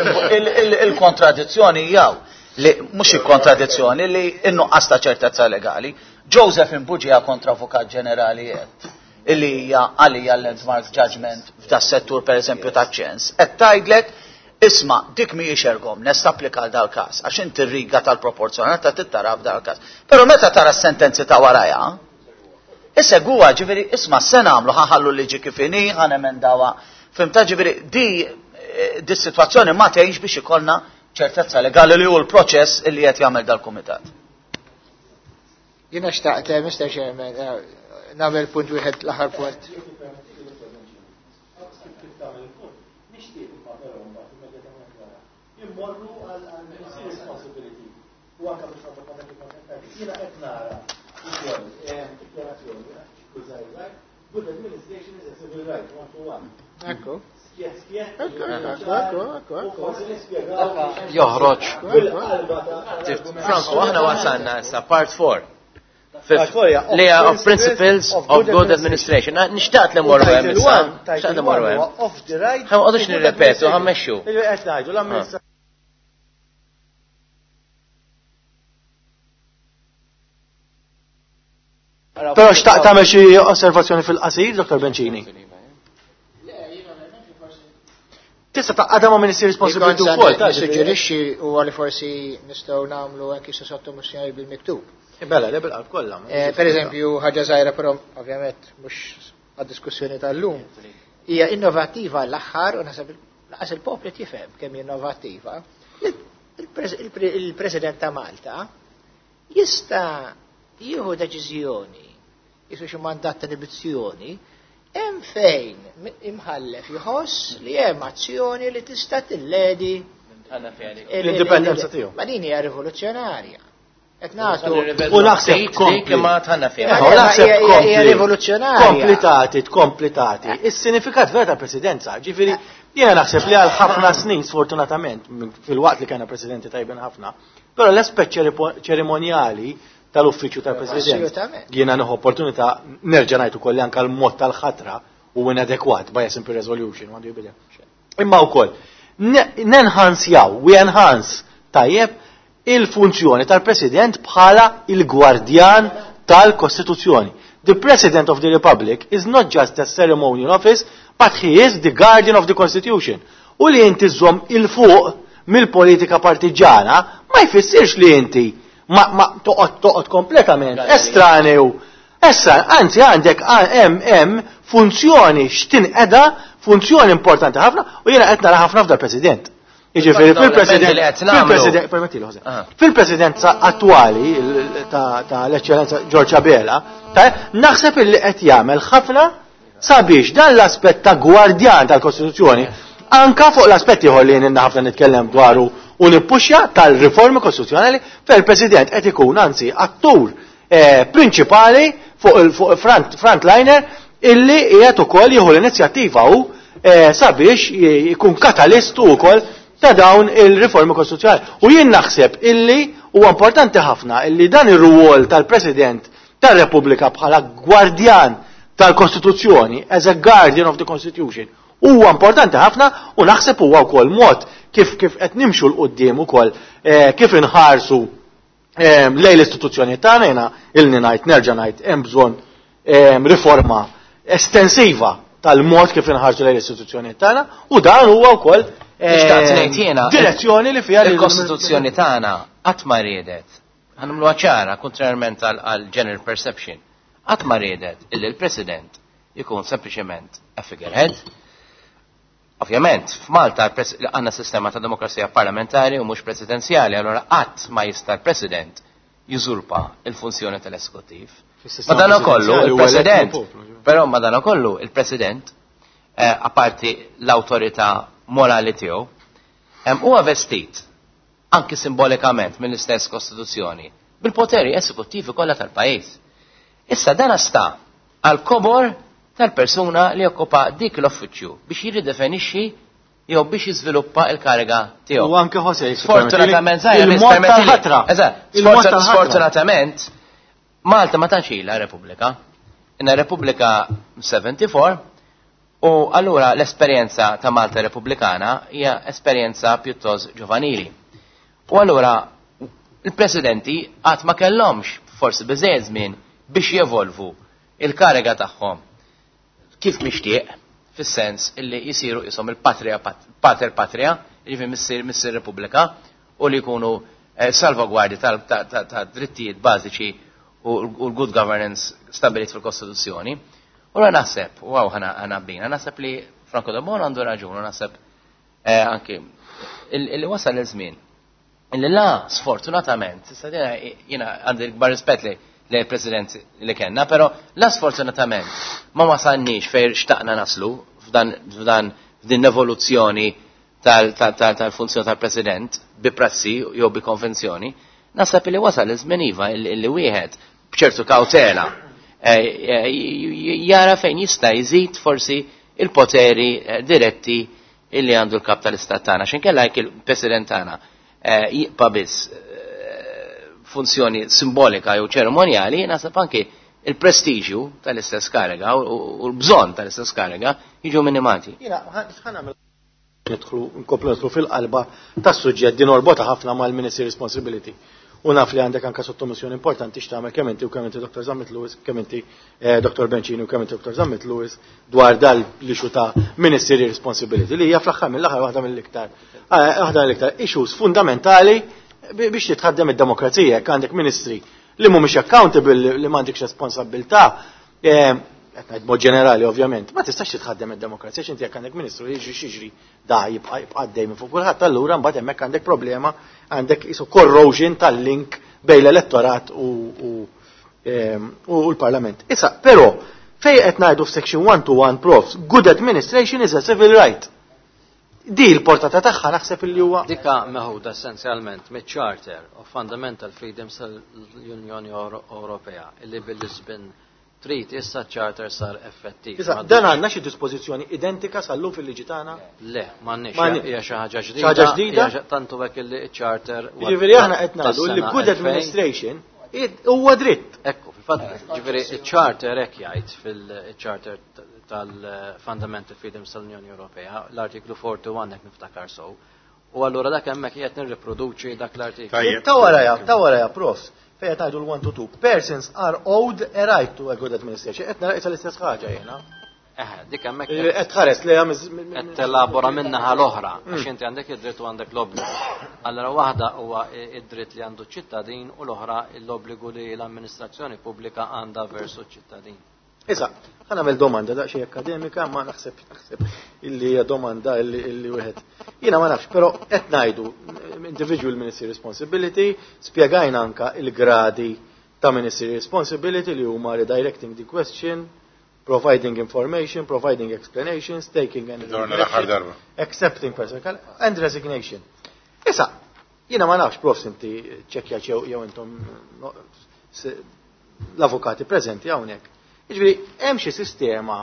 il-kontradizzjoni jew li mhux il-kontradizzjoni li in-nuqqas ta' ċertezza legali. Joseph Imbuġija kontra Avukat Ġenerali qed illi hija għalija landmark judgment f'da settur per eżempju ta' ċens. Qed tgħidlek isma' dik mhijiex erga omnes tapplika għal dal-każ għax inti riga tal-proporzjonalità tittara f'dal każ. Però meta tara s-sentenzi ta' warajha, Isegwa, ġifieri, isma' se nagħmlu ħa nħallu liġi kif inhi, ħa nemendawa. Fhimta, ġifieri, di situazzjoni ma tgħinx biex ikollna ċertezza legali li hu l-proċess illi qed jagħmel dal-kumitat. Jiena xtaqt, Mr. Chairman, nagħmel punt wieħed, l-aħħar punt. Nixtieq imma però mbagħad immedjatament wara. Immorru għal responsibility u anke biex nagħmlu kommenti kontentati. Jiena qed nara ukoll dikjarazzjoni kull good administration is a civil right, one to one. Ekku. Skjet, skjet. Ekku, ekku, ekku, ekku, U ekku. forsi nispjegaw Joħroġ. bil-qalba ta' Franco, aħna wasalna issa part 4. Part four hija Li hija of principles of good administration. Nixtaqt li morru hemm issa. Nixtaqt li morru hemm. Of the right. Ħa ma qogħdux nirrepetu, ħa mmexxu. Qed ngħidu l-amministrazzjoni. Però xtaqt tagħmel xi osservazzjoni fil-qasir, Dr. Bencini? Tista' taqgħadha ma' Ministry Responsibility wkoll. Ta' Nissuġġerixxi huwa li forsi nistgħu nagħmlu anki xi sottomissjoni bil-miktub. Bella, le bil-qalb kollha. Per eżempju, ħaġa żgħira però ovvjament mhux għad-diskussjoni tal-lum. Hija innovattiva l-aħħar u naħseb laqas il-poplu tifhem kemm hi innovattiva. Il-President ta' Malta jista' jieħu deċiżjoni, jisu xi mandat ta' inibizzjoni, hemm fejn imħallef jħoss li hemm azzjoni li tista' tilledi L-indipendenza tiegħu. Ma din hija rivoluzzjonarja. Qed nagħtu U naħseb kompli. Ma tħanna fiha. U naħseb Hija kompli. rivoluzzjonarja. Kompletati, kompletati. Is-sinifikat vera ta' presidenza, ġifieri, jiena naħseb li għal ħafna snin, sfortunatament, fil-waqt li kena presidenti tajbin ħafna, però l-aspett ċerimonjali tal-uffiċċju tal-president. Assolutament. Jiena nieħu opportunità nerġa' ngħid ukoll li anke l-mod tal-ħatra u inadekwat by a simple resolution għandu jibidel. Imma wkoll nenhansjaw, we enhance tajjeb il-funzjoni tal-president bħala il-gwardjan tal-Kostituzzjoni. The President of the Republic is not just a ceremonial office, but he is the guardian of the Constitution. U li inti żomm il-fuq mill-politika partiġana ma jfissirx li inti ma toqgħod kompletament estraneu. Issa, anzi għandek hemm funzjoni x'tinqeda, funzjoni importanti ħafna u jiena qed nara ħafna f'dal President. Jiġifieri fil-President permettili Jose. Fil-Presidenza attwali ta' l-Eċċellenza George Abela, naħseb illi qed jagħmel ħafna sabiex dan l-aspett ta' gwardjan tal-Kostituzzjoni anka fuq l-aspett ieħor li jien ħafna nitkellem dwaru u nippuxja tal-riformi kostituzzjonali fejn il-President qed ikun anzi attur prinċipali fuq il frontliner illi qiegħed ukoll jieħu l-inizjattiva hu sabiex jkun katalistu wkoll ta' dawn il-riformi kostituzzjonali. U jien naħseb illi huwa importanti ħafna illi dan ir-rwol tal-President tar-Repubblika bħala gwardjan tal-Kostituzzjoni, as a guardian of the Constitution, huwa importanti ħafna u naħseb huwa wkoll mod kif qed nimxu 'l quddiem ukoll kif inħarsu lejn l-istituzzjoni tagħna. Jiena ilni ngħid nerġa' ngħid hemm bżonn riforma estensiva tal-mod kif inħarsu lejn l-istituzzjoni tagħna u dan huwa wkoll direzzjoni li fiha il-Kostituzzjoni tagħna qatt ma riedet. Ħa nagħmluha ċara, kontrarjament għal general perception. Qatt ma riedet illi l-President ikun sempliċement a figurehead. Ovvjament, f'Malta għandna sistema ta' demokrazija parlamentari u mhux presidenzjali, allora qatt ma jista' l-President jużurpa il-funzjoni tal-eżekuttiv. Madanakollu, il-President, però madanakollu, il-President, apparti l-awtorità morali tiegħu, huwa vestit anki simbolikament mill-istess Kostituzzjoni bil-poteri eżekuttivi kollha tal-pajjiż. Issa dan sta għal kobor tal-persuna li okkupa dik l-uffiċċju biex jirridefinixxi jew biex jiżviluppa il-kariga tiegħu. U anke Jose, Sfortunatament, il-mod tal-ħatra. Eżatt, sfortunatament Malta ma tantx ilha Repubblika. Inna Repubblika 74 u allura l-esperjenza ta' Malta Repubblikana hija esperjenza pjuttost ġovanili. U allura il-presidenti qatt ma kellhomx forsi biżejjed żmien biex jevolvu il-kariga tagħhom kif mixtieq, fis-sens illi jisiru isom il-patria, pater patria, jiġifieri missier Repubblika, u li jkunu salvagwardi ta' drittijiet bażiċi u l-good governance stabilit fil-Kostituzzjoni. U naħseb, u għaw ħana bina, naħseb li Franco Debono għandu raġun, u naħseb anki illi wasal iż-żmien. Illi la, sfortunatament, issa jiena għandi l-kbar rispett li l-President li kellna, però la sfortunatament ma wasalniex fejn xtaqna naslu f'dan f'din l-evoluzzjoni tal-funzjoni tal-President bi prassi jew bi konvenzjoni, naħseb li wasal iż-żmien iva illi wieħed b'ċertu kawtela jara fejn jista' jżid forsi il-poteri diretti illi għandu l-kap tal-istat tagħna. X'inkella jekk il-President tagħna jibqa' biss funzjoni simbolika jew ċerimonjali, naħseb anki il-prestiġju tal-istess kariga u l-bżonn tal-istess kariga jiġu minimati. Jiena nidħlu nkomplu nidħlu fil-qalba tas-suġġett din orbota ħafna mal-Ministry Responsibility. U naf li għandek anka sottomissjoni importanti x'tagħmel kemm inti u kemm inti Dr. Zammit Lewis, kemm inti Dr. Bencini u kemm inti Dr. Zammit Lewis dwar dal li xu ta' Ministry Responsibility li hija fl-aħħar mill-aħħar waħda mill-iktar waħda mill-iktar issues fundamentali biex titħaddem id-demokrazija. Jekk għandek ministri li mhumiex accountable, li m'għandekx responsabilità, qed ngħid mod ġenerali ovvjament, ma tistax titħaddem id-demokrazija x'inti jekk għandek ministru li jiġri xiġri da jibqa' għaddej minn fuq kulħadd, allura mbagħad hemmhekk għandek problema, għandek isu corrosion tal-link bejn l-elettorat u l-Parlament. Issa, però, fejn qed ngħidu f'section 121 profs, good administration is a civil right. Di l-portata tagħha naħseb illi huwa Dika meħuda essenzjalment miċ-Charter of Fundamental Freedoms tal-Unjoni Ewropea illi bil-Lisbon Treaty issa ċ-Charter sar effettiv. Issa, dan għandna xi dispożizzjoni identika sal-lum fil-liġi tagħna? Le, m'għandniex. Hija xi ħaġa ġdida. Xi ħaġa ġdida? Tantu hekk illi ċ-Charter Jiġifieri aħna qed ngħidu li good administration huwa dritt. Ekku, fil-fatt, jiġifieri ċ-Charter hekk jgħid fil-Charter tal-Fundamental Freedoms tal-Unjoni Ewropea, l-artiklu 41 hekk niftakar sew. U allura dak hemmhekk qed nirriproduċi dak l-artiklu. Ta' waraja, ta' waraja, profs, fejn qed ngħidu l-1 to 2. Persons are owed a right to a good administration. Qed nara l-istess ħaġa jiena. Eħe, dik hemmhekk Qed tħares li qed telabora min-naħa l-oħra, għax inti għandek id-dritt u għandek l-obbligu. Allura waħda huwa id-dritt li għandu ċ-ċittadin u l-oħra l-obbligu li l-amministrazzjoni pubblika għandha versu ċ-ċittadin. Issa, ħa nagħmel domanda daqsxejn akademika, ma naħseb naħseb illi hija domanda illi wieħed. Jiena ma nafx, però qed ngħidu individual ministry responsibility, spjegajna anka il-gradi ta' ministry responsibility li huma redirecting the question, providing information, providing explanations, taking and Dorna l-aħħar darba. accepting personal and resignation. Issa, jiena ma nafx, profs inti ċekkja jew intom no, l-avukati preżenti hawnhekk. Jiġifieri hemm xi sistema,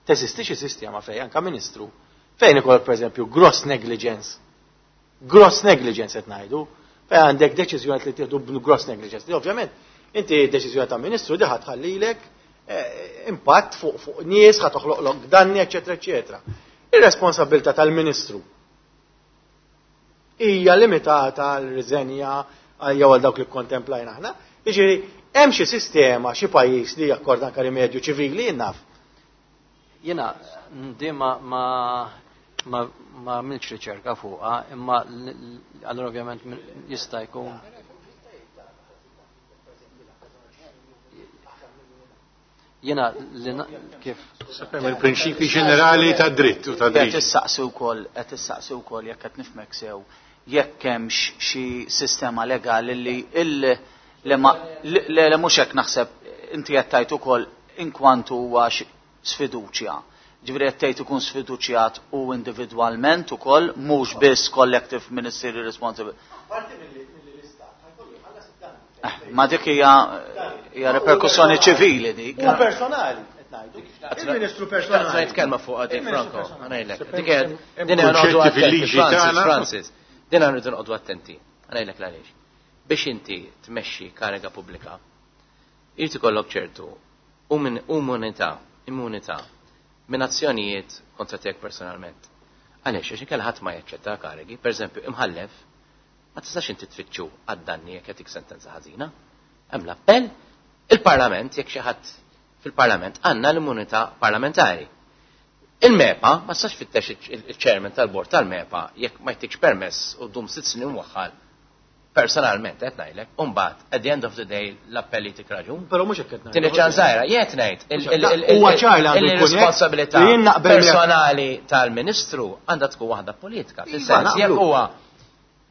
teżisti xi sistema fejn anka ministru, fejn ikollok pereżempju gross negligence. Gross negligence qed ngħidu, fejn għandek deċiżjoni li tieħdu b'gross negligence. Li ovvjament inti deċiżjoni ta' ministru di ħa tħallilek impatt fuq nies, ħa toħloqlok danni, eċetera, eċetera. Ir-responsabilità tal-ministru hija limitata għal riżenja jew għal dawk li kontemplajna aħna. Jiġifieri hemm xi sistema, xi pajjiż li jakkorda anke rimedju ċivili jien naf. Jiena di ma għamiltx riċerka fuqha, imma allura ovvjament jista' jkun. Jiena li kif Il-prinċipi ġenerali ta' dritt u ta' Qed dritt. issaqsi wkoll, qed issaqsi wkoll jekk qed nifhmek sew, jekk hemmx xi sistema legali li il le ma le le mhux hekk naħseb inti qed tgħid ukoll inkwantu huwa sfiduċja. Ġifieri qed tgħid ikun sfiduċjat u individwalment ukoll mhux biss collective ministerial responsibility. Ma dik hija reperkussjoni ċivili dik. U personali, qed ngħidu. Il-Ministru personali. Ngħid kelma fuq għadi, Il-Ministru Franco, personali. ħa ngħidlek. Hemm Dik qed- din għandu kunċetti attenti, fil-liġi Francis, tagħna. Francis, din għandu noqogħdu attenti. Ħa ngħidlek l-għaliex. Biex inti tmexxi kariga pubblika, irid ikollok ċertu immunità minn azzjonijiet kontra tiegħek personalment. Għaliex, għax inkella ħadd ma jaċċetta karigi, pereżempju imħallef, ma tistax inti tfittxu għad-danni jekk jagħtik sentenza ħażina. Hemm l-appell, il-Parlament, jekk xi ħadd fil-Parlament għandna l-immunità parlamentari. Il-MEPA, ma tistax fittex il-chairman tal-bord tal-MEPA jekk ma jtikx permess u dum 6 snin waħħal personalment qed ngħidlek, u mbagħad at the end of the day l-appelli tik raġun. Però mhux hekk qed ngħidu. Tieni ċanżajra, jien qed ngħid Huwa ċar li għandu jkun hekk, il-responsabilità li jien naqbel miegħek. personali tal-Ministru għandha tkun waħda politika. Iva, Fis-sens jekk naqblu. huwa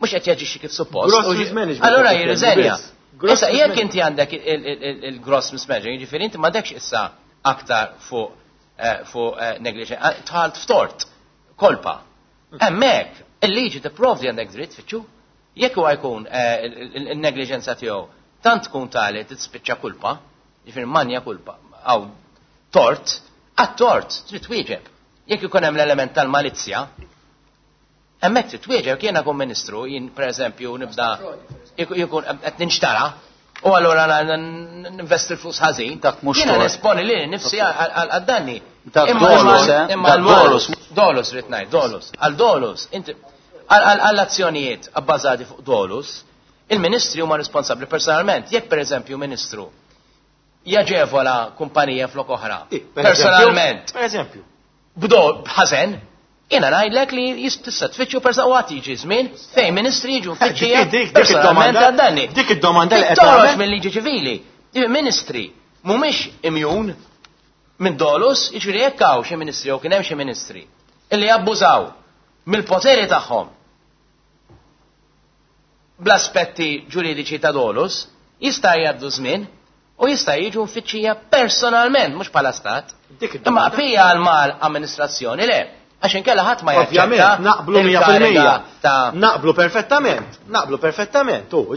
mhux qed jaġixxi kif suppost. Gross mismanagement Allura qed jirriżenja. biss. Gross Issa jekk mismanagement. inti għandek il-gross mismanagement, jiġifieri inti m'għandekx issa aktar fuq negligence, tħalt f'tort, kolpa. Hemmhekk il-liġi tipprovdi għandek dritt fitxu. Jekk huwa jkun il-negliġenza tiegħu tant tkun tali tispiċċa kulpa, jiġifieri manja kulpa, aw tort, għat-tort trid twieġeb. Jekk ikun hemm l-element tal-malizzja, hemmhekk trid twieġeb. Jekk jiena kun ministru, jien pereżempju nibda jkun qed ninxtara, u allura ninvesti l-flus ħażin, Dak mhux jiena tort. nesponi lili nifsi għad-danni. Dak Imma dolus, eh? imma Dak dolus. Dolus rrid ngħid, dolus. Għal dolus, inti għall-azzjonijiet abbażati fuq dolus, il-ministri huma responsabbli personalment. Jekk pereżempju ministru jaġevola kumpanija flok oħra, Per eżempju, personalment, Per eżempju. b'ħażen, jiena ngħidlek li tista' tfittxu persa u għad jiġi żmien fejn ministri jiġu mfittxija Dik personalment id-domanda- għad-danni. dik id-domanda li qed Toħroġ tagħmel- mill-liġi ċivili. Ministri mhumiex immune minn dolus, jiġifieri jekk hawn xi ministri jew kien hemm xi ministri illi jabbużaw mill-poteri tagħhom bl-aspetti ġuridiċi ta' dolus, jista' jgħaddu żmien u jista' jiġu mfittxija personalment, mhux bħala stat. Dik Imma id-domanda. pija għal mal amministrazzjoni le, għax inkella ħadd ma jaċċetta Ovvjament, naqblu 100%. il-kariga ta' Naqblu perfettament, naqblu perfettament. U,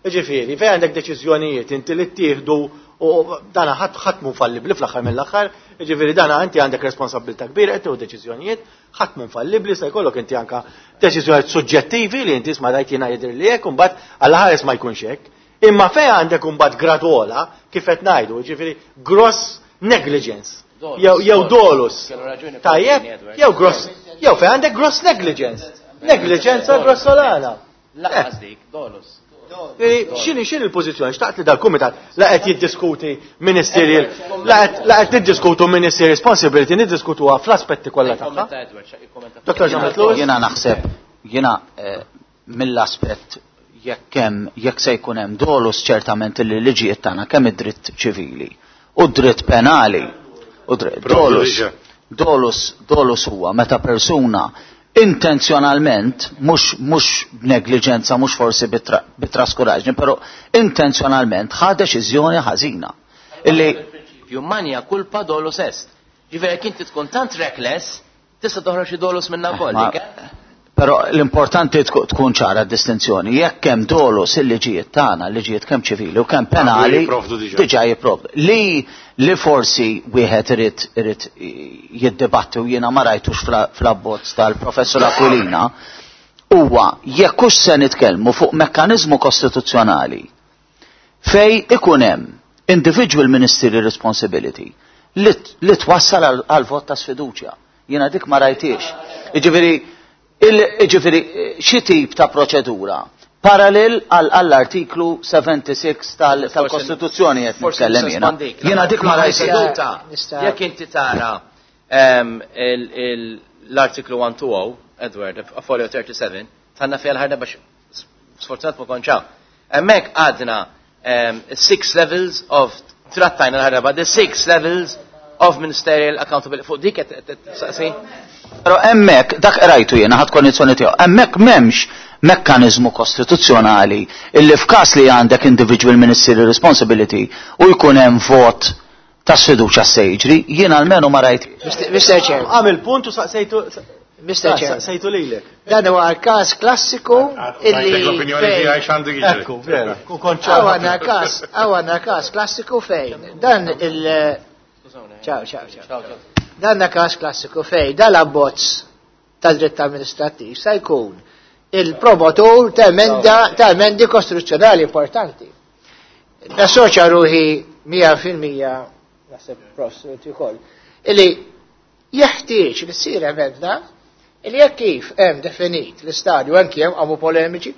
ġifieri, fejn għandek deċiżjonijiet inti li ttieħdu u dana ħadd mhu fallibbli fl-aħħar mill-aħħar, ġifieri dana inti għandek responsabilità kbira qed tieħu deċiżjonijiet, ħadd mhu fallibbli se jkollok inti anka deċiżjonijiet suġġettivi li inti isma' dajt jiena jidher li hekk u mbagħad għal ħares ma jkunx hekk. Imma fejn għandek imbagħad gradola kif qed ngħidu, ġifieri gross negligence. Dolus, Jew dolus. dolus. Kellu raġuni Tajjeb, Paulini, Edward. jew gross, jew fejn għandek gross negligence. Negliġenza grossolana. Lanqas dik, dolus. X'inhi x'inhi l-pożizzjoni? Xtaqt li dal-kumitat la qed jiddiskuti ministerial, la qed niddiskutu ministerial responsibility, niddiskutuha fl-aspetti kollha tagħha. Dr. Zammit Lewis? Jiena naħseb, jiena mill-aspett jekk hemm jekk se jkun hemm dolus, ċertament li liġijiet tagħna, kemm id-dritt ċivili u d-dritt penali u dolus dolus dolus huwa meta persuna intenzjonalment, mhux b'negliġenza, mhux forsi bit-traskuraġni, però intenzjonalment ħa deċiżjoni ħażina. Illi Prinċipju mania culpa dolus est. Ġifieri jekk inti tkun tant reckless, tista' toħroġ xi dolus minna wkoll. Però l-importanti tkun ċara d-distinzjoni. Jekk hemm dolus, il-liġijiet tagħna, liġijiet kemm ċivili u kemm penali, diġà jipprovdu. Li forsi wieħed irid jiddibatti u jiena ma rajtux fl-abbozz tal-Professur Aquilina huwa jekk hux se nitkellmu fuq mekkaniżmu kostituzzjonali fej ikun hemm individual ministerial responsibility li twassal għal vot ta' sfiduċja. Jiena dik ma rajtix. Jiġifieri xi tip ta' proċedura parallel għall-artiklu 76 tal-Kostituzzjoni qed nitkellem jiena. Jiena dik ma rajtix. Jekk inti tara l-artiklu 120, Edward, folio 37, tanna fiha l-ħarna biex sfortunat ma konċaw. Hemmhekk għadna six levels of, trattajna l-ħarba, the six levels of ministerial accountability. Fuq dik qed saqsi? Però hemmhekk dak rajtu jiena ħadd kondizzjoni tiegħu. Hemmhekk m'hemmx mekkaniżmu kostituzzjonali illi f'każ li għandek individual ministerial responsibility u jkun hemm vot ta' sfiduċja se jiġri, jien almenu ma rajt. Mr. Chair. Għamil punt u saqsejtu. Mr. Chair. Saqsejtu lilek. Dan huwa każ klassiku illi L-opinjoni tiegħi x'għandu jiġri. Ekku, vera. Hawn għandna każ klassiku fejn dan il- Ciao, ciao, ciao. Dan każ klassiku fejn dan l-abbozz tad-dritt amministrattiv sa jkun il-promotur ta' emenda ta' emendi kostituzzjonali importanti. Nassoċja ruħi 100%, naħseb prof ukoll, illi jeħtieġ li ssir emenda illi jekk kif hemm definit l-istadju, anki hemm għamu polemiċi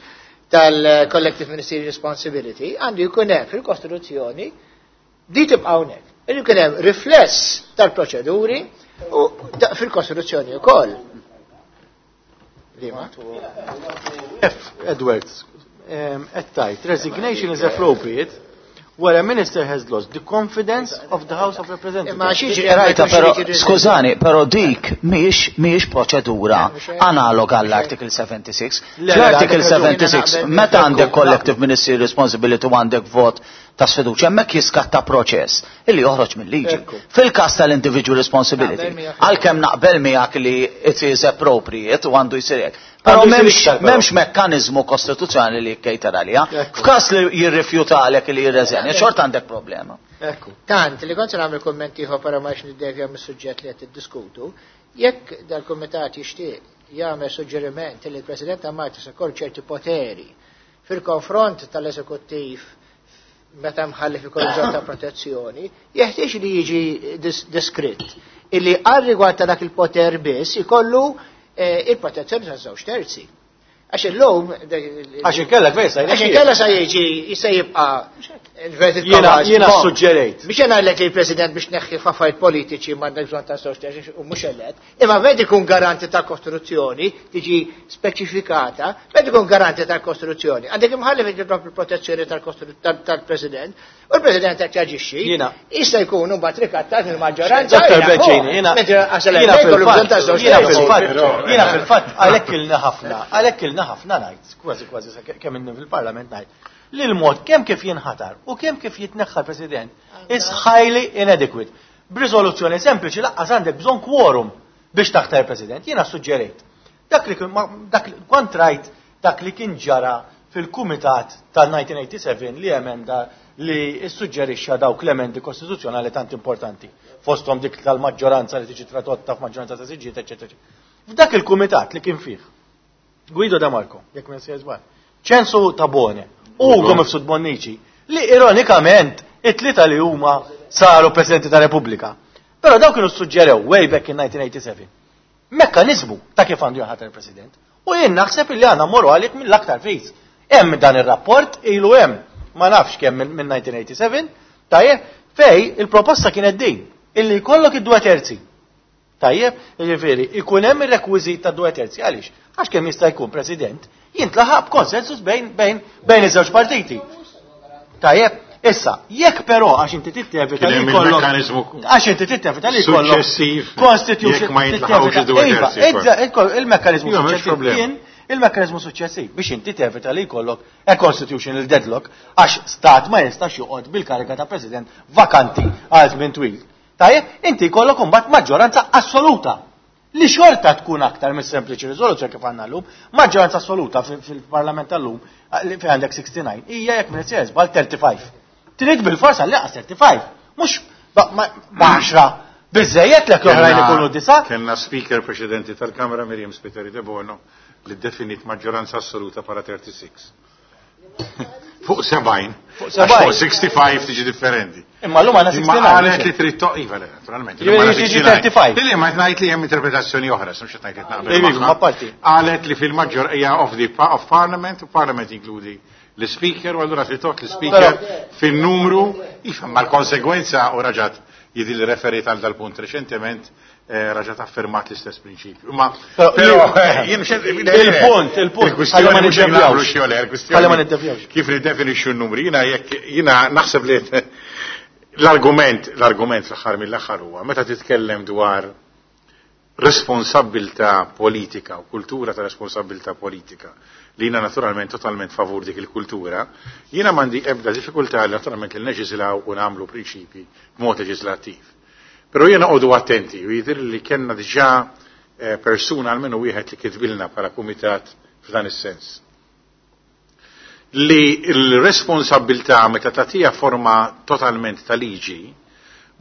tal-Collective Ministerial Responsibility, għandu jkun hemm fil-Kostituzzjoni di tibqa' hawnhekk. Għandu jkun hemm rifless tal-proċeduri u fil-Kostituzzjoni wkoll. Lima? F. Edwards, at tight, resignation is appropriate where a minister has lost the confidence of the House of Representatives. Ma xieġri Rajta, però, skużani, però dik mhijiex proċedura analoga għall-Article 76. L-Article 76, meta għandek collective ministerial responsibility u għandek vot ta' sfiduċja, hemmhekk jiskatta proċess illi joħroġ mill-liġi. Fil-każ tal-individual responsibility, għalkemm naqbel miegħek li it is appropriate u għandu jsir hekk. Però m'hemmx mekkaniżmu kostituzzjonali li jikkejter għaliha. F'każ li jirrifjutalek li jirreżenja, xorta għandek problema. Ekku. Tant li kont nagħmel kummenti ieħor, però ma niddevja mis-suġġett li qed tiddiskutu, jekk dal-kumitat jixtieq jagħmel suġġeriment li l-President ta' Malta se jkollu ċerti poteri fil-konfront tal-eżekuttiv meta mħallef ikollu bżonn ta' protezzjoni, jeħtieġ li jiġi deskritt illi għal rigward ta' dak il-poter biss ikollu il-protezzjoni ta' żewġ terzi. Għax illum Għax inkella fejn sa Għax inkella sa jiġi se jibqa' Jiena suġġerejt. Biex jena għallek li l-President biex neħħi f'affarijiet politiċi m'għandek bżonn ta' żewġ terzi u mhux elett, imma meta ikun garanti ta' Kostituzzjoni tiġi speċifikata, meta ikun garanti ta' Kostituzzjoni, għandek imħallef jitlob il-protezzjoni tal-President, u l-President qed jaġixxi. Jista' jkun mbagħad rikattat mill-maġġoranza. Dr. Beċini, jiena fil-fatt għalhekk ilna ħafna, għalhekk ilna ħafna ngħid, kważi kważi kemm inni fil-Parlament ngħid, li l-mod kemm kif jinħatar u kemm kif jitneħħa l-President is highly inadequate. B'riżoluzzjoni sempliċi lanqas għandek bżonn quorum biex taħtar il-President. Jiena suġġerejt. Dak li dak kont rajt dak li kien ġara fil-Kumitat tal-1987 li emenda li suġġerixxa dawk l-emendi kostituzzjonali tant importanti. Fosthom dik tal-maġġoranza li tiġi tradotta f'maġġoranza ta' siġġiet, eċetera. F'dak il-kumitat li kien fih Guido De Marco, jekk minn sejjer Ċensu Tabone, Ugo Mifsud Bonnici, li ironikament it-tlieta li huma saru Presidenti ta' Repubblika. Però dawk kienu suġġerew way back in 1987 mekkanizmu ta' kif għandu jaħatar il-President. U jien naħseb illi għandna mmorru għalih mill-aktar fis. Hemm dan ir-rapport ilu hemm ma nafx kemm minn 1987, tajjeb, fej il-proposta kienet din, illi jkollok id-2/3. Tajjeb, jiġifieri, ikun hemm ir-rekwiżit ta' 2/3 għaliex? Għax kemm jista' jkun President jintlaħaq b'konsensus bejn iż-żewġ partiti. Tajjeb, issa, jekk però għax inti tittevita li jkollok għax inti tittevita li jkollok constitution ma jintlaħqux id-2/3. Il-mekkaniżmu suċċessiv kien il-mekkaniżmu suċċessiv biex inti tevita li jkollok a constitutional deadlock għax stat ma jistax joqgħod bil-kariga ta' president vakanti għal żmien twil. Tajjeb, inti jkollok imbagħad maġġoranza assoluta li xorta tkun aktar mis sempliċi riżoluzzjoni kif għandna llum, maġġoranza assoluta fil-Parlament tal-lum li fejn għandek 69 hija jekk minn sejjer żball 35. Trid bil-forsa li 35, mhux b'10 biżejjed lek l-oħrajn ikunu 9. Kellna speaker preċedenti tal-Kamra Miriam Spiteri Debono li definit maġġoranza assoluta para 36. Fuq 70. Fuq 70. Fuq 65 tiġi differenti. Imma l-lum għandna 69. Imma qalet li trid toq, iva, naturalment. Jiġi 35. Li ma ngħid li hemm interpretazzjoni oħra, mhux qed ngħid naqbel. Iva, ma parti. Qalet li fil-maġġor hija of the of parliament, u parliament inkludi l-speaker, u allura trid toqgħod l-speaker fin-numru, iva, ma l-konsegwenza u raġat jidi li referit għal dal-punt reċentement, raġat affermat l-istess prinċipju. Ma, però, jien il-punt, il-punt. Il-kwistjoni mhux naqblu xi le, il-kwistjoni. ma niddevjawx. Kif niddefinixxu n-numri, jiena jekk jiena naħseb li l-argument, l-argument fl-aħħar mill-aħħar huwa meta titkellem dwar responsabilità politika u kultura ta' responsabilità politika li jiena naturalment totalment favur dik il-kultura, jiena m'għandi ebda diffikultà li naturalment li neġislaw u nagħmlu prinċipji b'mod leġislattiv. Però jiena qogħdu attenti u jidher li kellna diġà persuna almenu wieħed li kitbilna bħala kumitat f'dan is-sens. Li l-responsabilità meta tagħtiha forma totalment ta' liġi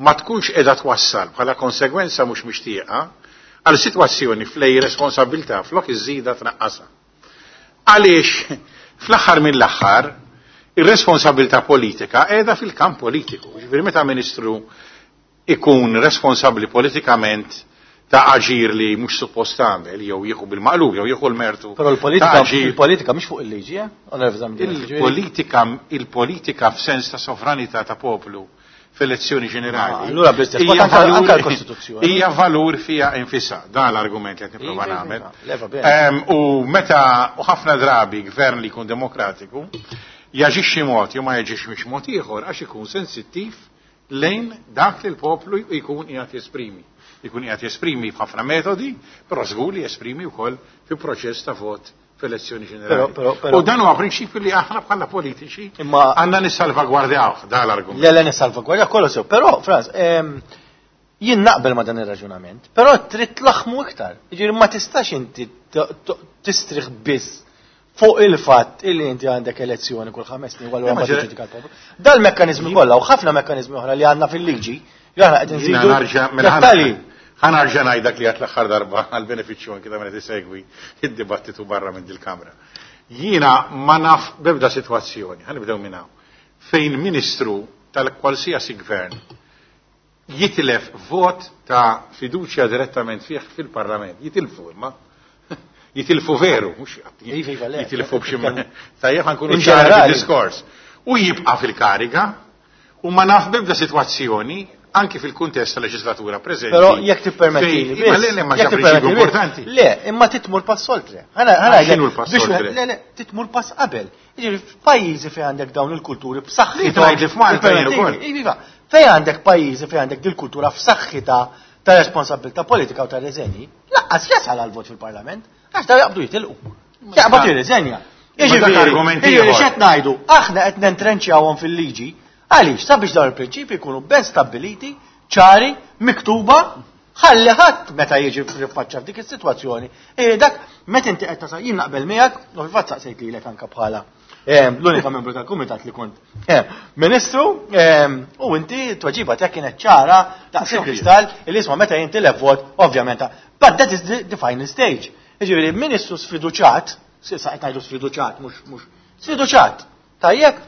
ma tkunx qiegħda twassal bħala konsegwenza mhux mixtieqa għal sitwazzjoni flej responsabilità flok iżida tnaqqasha. Għaliex fl-aħħar mill-aħħar ir-responsabilità politika qiegħda fil-kamp politiku. Ġifieri meta ministru ikun responsabbli politikament ta' aġir li mhux suppost tagħmel jew jieħu bil-maqlub jew jieħu l-mertu. Però l-politika mhix fuq il-liġi, eh? Il-politika il-politika f'sens ta' sovranità ta' poplu f'elezzjoni ġenerali. Allura bl-istess anke l-Kostituzzjoni. Hija valur fija infisha, dan l-argument li qed nipprova nagħmel. U meta u ħafna drabi gvern li jkun demokratiku jaġixxi mod jew ma jaġixxi mod ieħor għax ikun sensittiv lejn dak li l-poplu jkun qiegħed jesprimi. Jkun qiegħed jesprimi f'ħafna metodi, però żgur li jesprimi wkoll fi proċess ta' vot f'elezzjoni ġenerali. U dan huwa prinċipju li aħna bħala politiċi għandna nissalvagwardjaw dan l-argument. Le le nissalvagwardjaw kollu sew, però Franz, jien naqbel ma dan ir-raġunament, però trid tlaħmu iktar. Jiġifieri ma tistax inti tistrieħ biss fuq il-fatt illi inti għandek elezzjoni kull 5 snin u allura ma tiġġudika l-poplu. Dal-mekkaniżmi kollha u ħafna mekkaniżmi oħra li għandna fil-liġi li aħna qed nżidu. Dettalji. Ħa nerġa' ngħid dak li għedt l-aħħar darba għall-benefiċċju anke ta' min qed isegwi id-dibattitu barra minn dil-kamra. Jiena ma naf b'ebda sitwazzjoni, ħa nibdew minn hawn, fejn ministru tal-kwalsiasi gvern jitilef vot ta' fiduċja direttament fih fil-Parlament. Jitilfu imma. Jitilfu veru, mhux jitilfu b'xi tajjeb ħa nkunu ċari fid-diskors. U jibqa' fil-kariga u ma naf b'ebda sitwazzjoni anki fil-kuntest tal-leġislatura preżenti. Però jekk tippermettili biss. Le, le, ma prinċipju importanti. Le, imma titmur pass oltre. X'inhu l-pass oltre? Le, le, titmur pass qabel. Jiġifieri f'pajjiżi fejn għandek dawn il-kulturi b'saħħithom. Tgħid li f'Malta jien ukoll. Iva, fejn għandek pajjiżi fejn għandek dil-kultura f'saħħitha ta' responsabilità politika u ta' riżenji, lanqas jasal għal vot fil-Parlament, għax daw jaqbdu jitilqu. Jaqbad jirriżenja. Jiġifieri x'qed ngħidu, aħna qed nentrenċjawhom fil-liġi. Għaliex, sabiex dawn il-prinċipji jkunu ben stabbiliti, ċari, miktuba, ħalli ħadd meta jiġi f'faċċa f'dik is-sitwazzjoni. Dak meta inti qed tasal jien naqbel miegħek, u fil-fatt saqsejt lilek anke bħala l-unika membru tal-kumitat li kont ministru, u inti tweġiba tiegħek kienet ċara daqs il-kristall li isma' meta jintilef vot, ovvjament. But that is the final stage. Jiġifieri ministru sfiduċat, sa qed ngħidu sfiduċat, mhux sfiduċat. Tajjeb,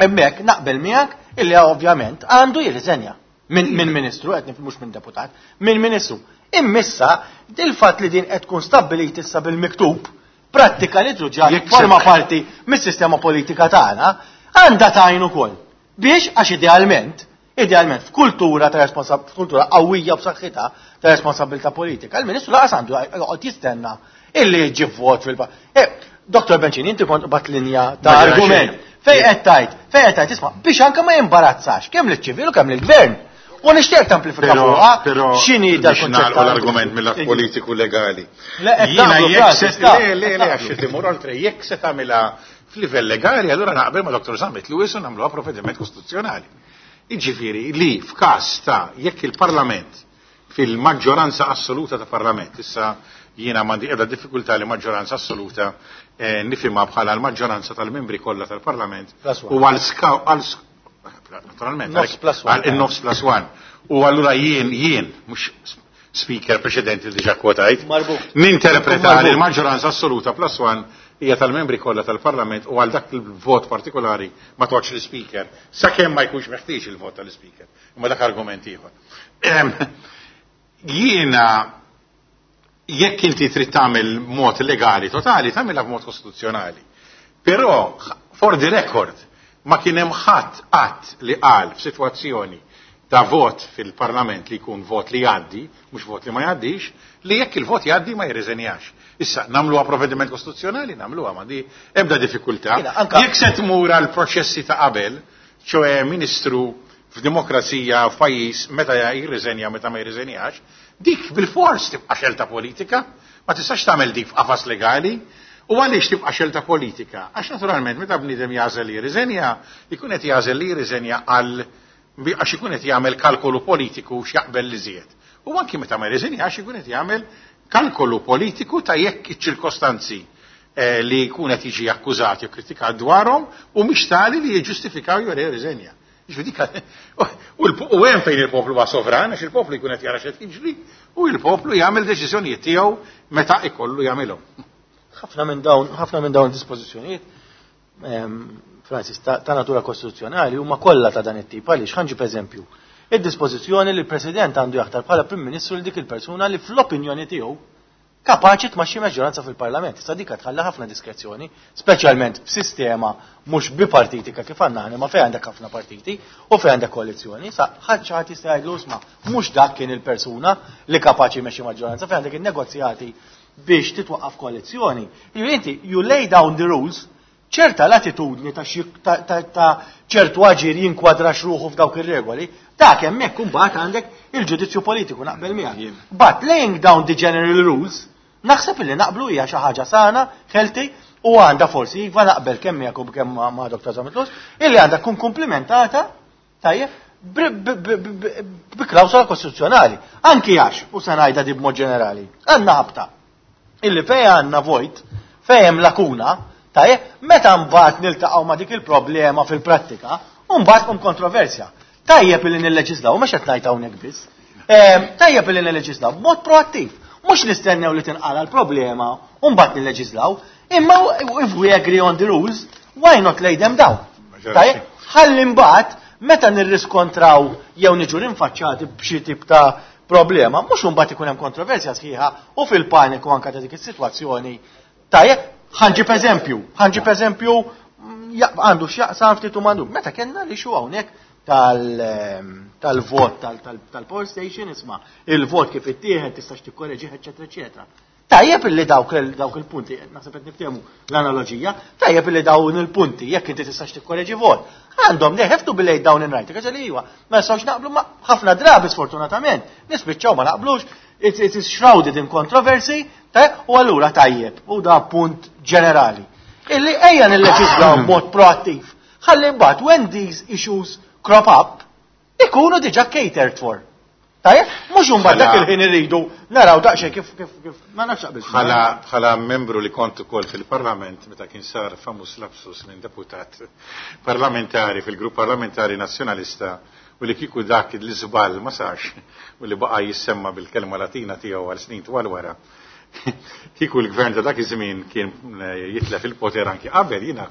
hemmhekk naqbel miegħek illi ovvjament għandu jirriżenja minn ministru, qed mhux minn deputat, minn ministru. Immissa, dil-fatt li din qed tkun stabbilit issa bil-miktub, prattika li truġa forma parti mis-sistema politika tagħna, għandha tajn ukoll. Biex għax idealment, idealment f'kultura ta' f'kultura qawwija b'saħħitha ta' responsabilità politika, il-Ministru laqas għandu joqgħod jistenna illi jiġi vot fil eh, Dr. Bencini, inti kont bat linja ta' argument. Fej qed tajt, fej qed tajt, isma' biex anke ma jimbarazzax kemm liċ-ċivil u kemm lill-gvern. U nixtieq tamplifika fuqha x'inhi dal kunċett l-argument mill politiku legali. Jiena jekk se le le le għax timur oltre jekk se tagħmilha f'livell legali, allura naqbel ma' Dr. Zammit Lewis u nagħmluha provvediment kostituzzjonali. Jiġifieri li f'każ ta' jekk il-Parlament fil-maġġoranza assoluta ta' Parlament, issa jiena m'għandi ebda diffikultà li maġġoranza assoluta eh, nifhimha bħala l-maġġoranza tal-membri kollha tal-Parlament u għal naturalment għal in-nofs plus one. U allura jien jien mhux speaker preċedenti li diġà kwotajt, ninterpreta li l-maġġoranza assoluta plus one hija tal-membri kollha tal-Parlament u għal dak il-vot partikolari ma toċ l-speaker, sakemm ma jkunx meħtieġ il-vot tal-speaker. Imma dak argument ieħor. Jiena jekk inti trid tagħmel mod legali totali, tagħmilha b'mod kostituzzjonali. Però, for the record, ma kien hemm ħadd qatt li qal f'sitwazzjoni ta' vot fil-parlament li jkun vot li jgħaddi, mhux vot li ma jgħaddix, li jekk il-vot jgħaddi ma jirriżenjax. Issa, nagħmluha provvediment kostituzzjonali, nagħmluha ma di ebda diffikultà. Jekk se tmur għal proċessi ta' qabel, ċoe ministru f'demokrazija f'pajjiż meta jirriżenja meta ma jirriżenjax, dik bil-fors tibqa' xelta politika, ma tistax tagħmel dik f'qafas legali. U għaliex tibqa' xelta politika? Għax naturalment meta bniedem jagħżel li jirriżenja, jkun qed jagħżel li jirriżenja għal għax ikun qed jagħmel kalkolu politiku x'jaqbel li żied. U anki meta ma jirriżenjax ikun qed jagħmel kalkolu politiku ta' jekk iċ-ċirkostanzi eh, li jkun qed jiġi akkużat jew kritikat dwarhom u mhix tali li jiġġustifikaw jew jirriżenja. U hemm fejn il-poplu huwa sovran, għax il-poplu jkun qed jara x'qed jiġri, u il-poplu jagħmel deċiżjonijiet tiegħu meta ikollu jagħmilhom. Ħafna minn dawn, ħafna minn dawn dispożizzjonijiet ehm, Francis, ta', ta natura kostituzzjonali huma kollha ta' dan it-tip għaliex ħanġib eżempju. Id-dispożizzjoni li l-President għandu jaħtar bħala Prim Ministru li dik il-persuna li fl-opinjoni tiegħu kapaċi tmaxxi maġġoranza fil-Parlament. Issa dik tħalli ħafna diskrezzjoni, speċjalment f'sistema mhux bipartitika kif għandna aħna ma fejn għandek ħafna partiti u fejn għandek koalizzjoni, sa ħadd xi ħadd jista' jgħidlu isma' mhux dak kien il-persuna li kapaċi jmexxi maġġoranza fejn għandek in-negozjati biex titwaqqaf koalizzjoni. Inti you lay down the rules ċerta latitudni ta' ċertu aġir jinkwadrax ruħu f'dawk ir-regoli, dak hemmhekk imbagħad għandek il-ġudizzju politiku naqbel miegħek. But laying down the general rules, naħseb illi naqblu hija xi ħaġa sana, healthy, u għandha forsi iva naqbel kemm miegħek u kemm ma' Dr. Zammit illi għandha tkun komplimentata tajjeb bi klawsola kostituzzjonali. Anki għax, u se ngħidha di b'mod ġenerali, għandna ħabta illi fejn għandna vojt, fejn hemm lakuna, tajjeb, meta mbagħad niltaqgħu ma' dik il-problema fil-prattika, u mbagħad tqum kontroversja. Tajjeb illi nilleġislaw, mhux qed ngħid hawnhekk biss. Ehm, tajjeb illi nilleġislaw b'mod proattiv. Mhux nistennew li tinqala l-problema u mbagħad nilleġislaw, imma if we agree on the rules, why not lay them down? Tajjeb, ħalli mbagħad meta nirriskontraw jew niġu rinfaċċati b'xi tip ta' problema, mhux imbagħad ikun hemm kontroversja sħiħa u fil-paniku anke ta' dik is-sitwazzjoni. Tajjeb, ħanġib eżempju, ħanġib eżempju mm, għandu x'jaqsam ftit u m'għandu. Meta kellna li xu hawnhekk ehm, tal-vot tal-poll station, isma' il-vot kif ittieħed tistax tikkoreġih, eċetera, eċetera. Tajjeb illi dawk il-punti, naħseb qed niftehmu l-analoġija, tajjeb illi dawn il-punti, jekk inti tistax tikkoreġi vot, għandhom they have to be laid down in writing, għax li iwa, ma nistgħux naqblu ma ħafna drabi sfortunatament, nispiċċaw ma naqblux, it is shrouded in controversy, u allura tajjeb, u da punt ġenerali. Illi ejja nilleġislaw b'mod proattiv. Ħalli mbagħad when these issues crop up, ikunu diġà catered for. Tajjeb, mhux imbagħad dak il-ħin irridu naraw daqsxejn kif kif kif ma nafx aqbel. Bħala bħala membru li kont ukoll fil-Parlament meta kien sar famuż lapsus minn deputat parlamentari fil-grupp parlamentari nazzjonalista u li kieku dak l-iżball ma sarx u li baqa' jissemma bil-kelma Latina tiegħu għal snin twal wara. Kieku l-gvern ta' dak iż-żmien kien eh, jitlef il-poter anki qabel, jiena